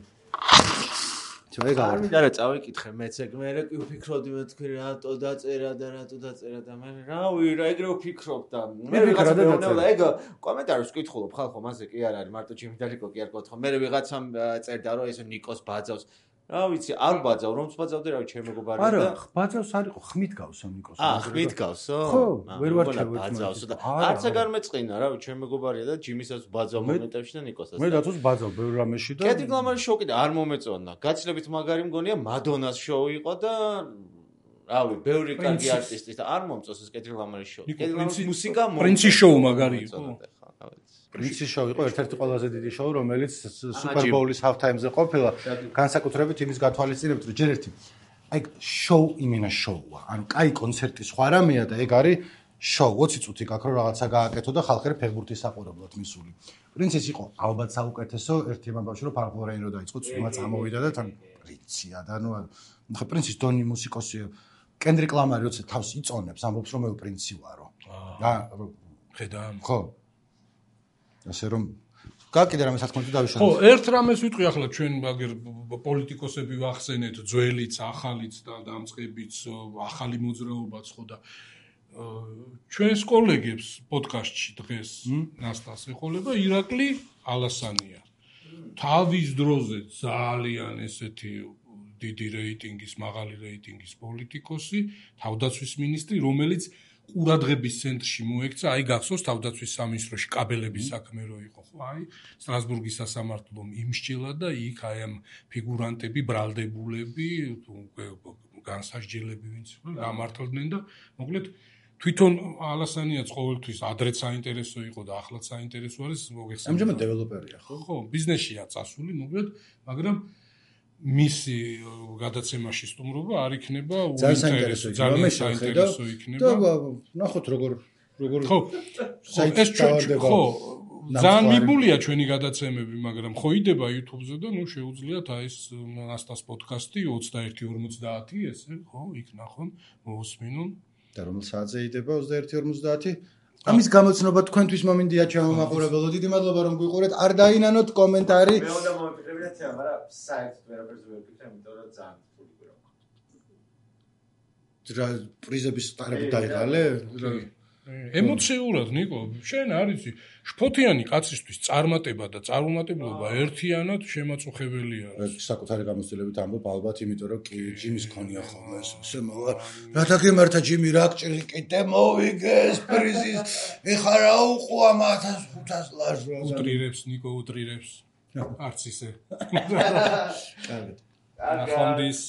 აი არ მინდა რა წავიკითხე მეც ეგ მე კი ვფიქრობდი მე თქვი რატო დაწერა და მე რავი რა ეგრე ვფიქრობ და მე ვიღაცა მეუბნება ეგ კომენტარებს ვკითხულობ ხალხო მასე კი არ არის მარტო ჩემი დალიკო კი არ გქოთხო მე ვიღაცამ წერდა რომ ეს ნიკოს ბაძავს რა ვიცი არ ბაძავ რომც ბაძავდი რა ჩემ მეგობარია და არა ბაძავს არ იყო ხმით გავსო ნიკოს ხმით გავსო ხო ვერ ვარ ჩავეცი ბაძავსო და არც ეგარ მეწყინა რა ჩემ მეგობარია და ჯიმისაც ბაძავ მომენტებში და ნიკოსაც მე დათოს ბაძავ ბევრ რამეში და კედრიკ ლამარის შოუ კიდე არ მომეწონა გაცილებით მაგარი მგონია მადონას შოუ იყო და რავი ბევრი კარგი არტისტი და არ მომწონს ეს კედრიკ ლამარის შოუ კედრიკ ლამარის მუსიკა პრინცის შოუ მაგარი იყო პრინცის შოუ იყო ერთ-ერთი ყველაზე დიდი შოუ რომელიც სუპერ ბოულის half time-ზე ყოფილა განსაკუთრებით იმის გათვალისწინებით რომ ჯერ ერთი აი შოუ იმენა შოუა ანუ კაი კონცერტი სხვა რამეა და ეგ არის შოუ 20 წუთი გაქ რო რაღაცა გააკეთო და ხალხი ფეხბურთის საყურებლად მისული პრინცის იყო ალბათ საუკეთესო ერთი ამბავში რომ ფარფლორეინ რო დაიწყო წვიმა წამოვიდა და თან პრინცია და ნუ ხა პრინცის დონი მუსიკოსია კენდრიკ ლამარი როცა თავს იწონებს, ამბობს რომ მე პრინცი ვარო. ხედა. ხო. ასე რომ კიდე რამე სათქმელი დავიშალე. ხო, ერთ რამეს ვიტყვი ახლა ჩვენ მაგერ პოლიტიკოსები ვახსენეთ, ძველიც, ახალიც და დამწყებიც, ახალი მოძრაობაც ხო და ჩვენს კოლეგებს პოდკასტში დღეს ნასტას ეხოლება ირაკლი ალასანია. თავის დროზე ძალიან ესეთი დიდი რეიტინგის, მაღალი რეიტინგის პოლიტიკოსი, თავდაცვის მინისტრი, რომელიც ყურადღების ცენტრში მოექცა, აი გახსოვს თავდაცვის სამინისტროში კაბელების საქმე რო იყო, ხო, აი სტრასბურგის სასამართლომ იმსჯელა და იქ აი ამ ფიგურანტები, ბრალდებულები, განსასჯელები ვინც გამართლდნენ და მოკლედ თვითონ ალასანიაც ყოველთვის ადრეც საინტერესო იყო და ახლაც საინტერესო არის მოგეხსენებათ. ამჟამად დეველოპერია, ხო? ხო, ბიზნესშია წასული, მოკლედ, მაგრამ მისი გადაცემაში სტუმრობა არ იქნება უინტერესო, ძალიან საინტერესო იქნება. და ნახოთ როგორ ხო, ეს ხო, ძალიან მიბულია ჩვენი გადაცემები, მაგრამ ხო იდება YouTube-ზე და ნუ შეუძლიათ აი ეს ნასტას პოდკასტი 21:50 ესე, ხო, იქ ნახონ, მოусმინონ. და რომელ საათზე იდება 21:50? ამის გამოცნობა თქვენთვის მომინდია ჩამომაყურებელო. დიდი მადლობა რომ გვიყურეთ. არ დაინანოთ კომენტარი. მე უნდა მომიფიქრებინათ, მაგრამ საერთოდ ვერაფერს ვერ ვფიქრე, იმიტომ რომ ძალიან რთული რა გვაქვს. პრიზების სტარები დაიღალე? ემოციურად ნიკო, შენ არიცი, შფოთიანი კაცისთვის წარმატება და წარუმატებლობა ერთიანად შემაწუხებელია. საკუთარი გამოცდილებით ამბობ ალბათ, იმიტომ რომ კი ჯიმის ქონია ხოლმე ეს. რათა გემართა ჯიმი რა გჭირი კიდე მოვიგეს პრიზის. ეხა რა უყვა 1500 ლარს. უტრირებს ნიკო, უტრირებს. არც ისე. კარგი. ახონდის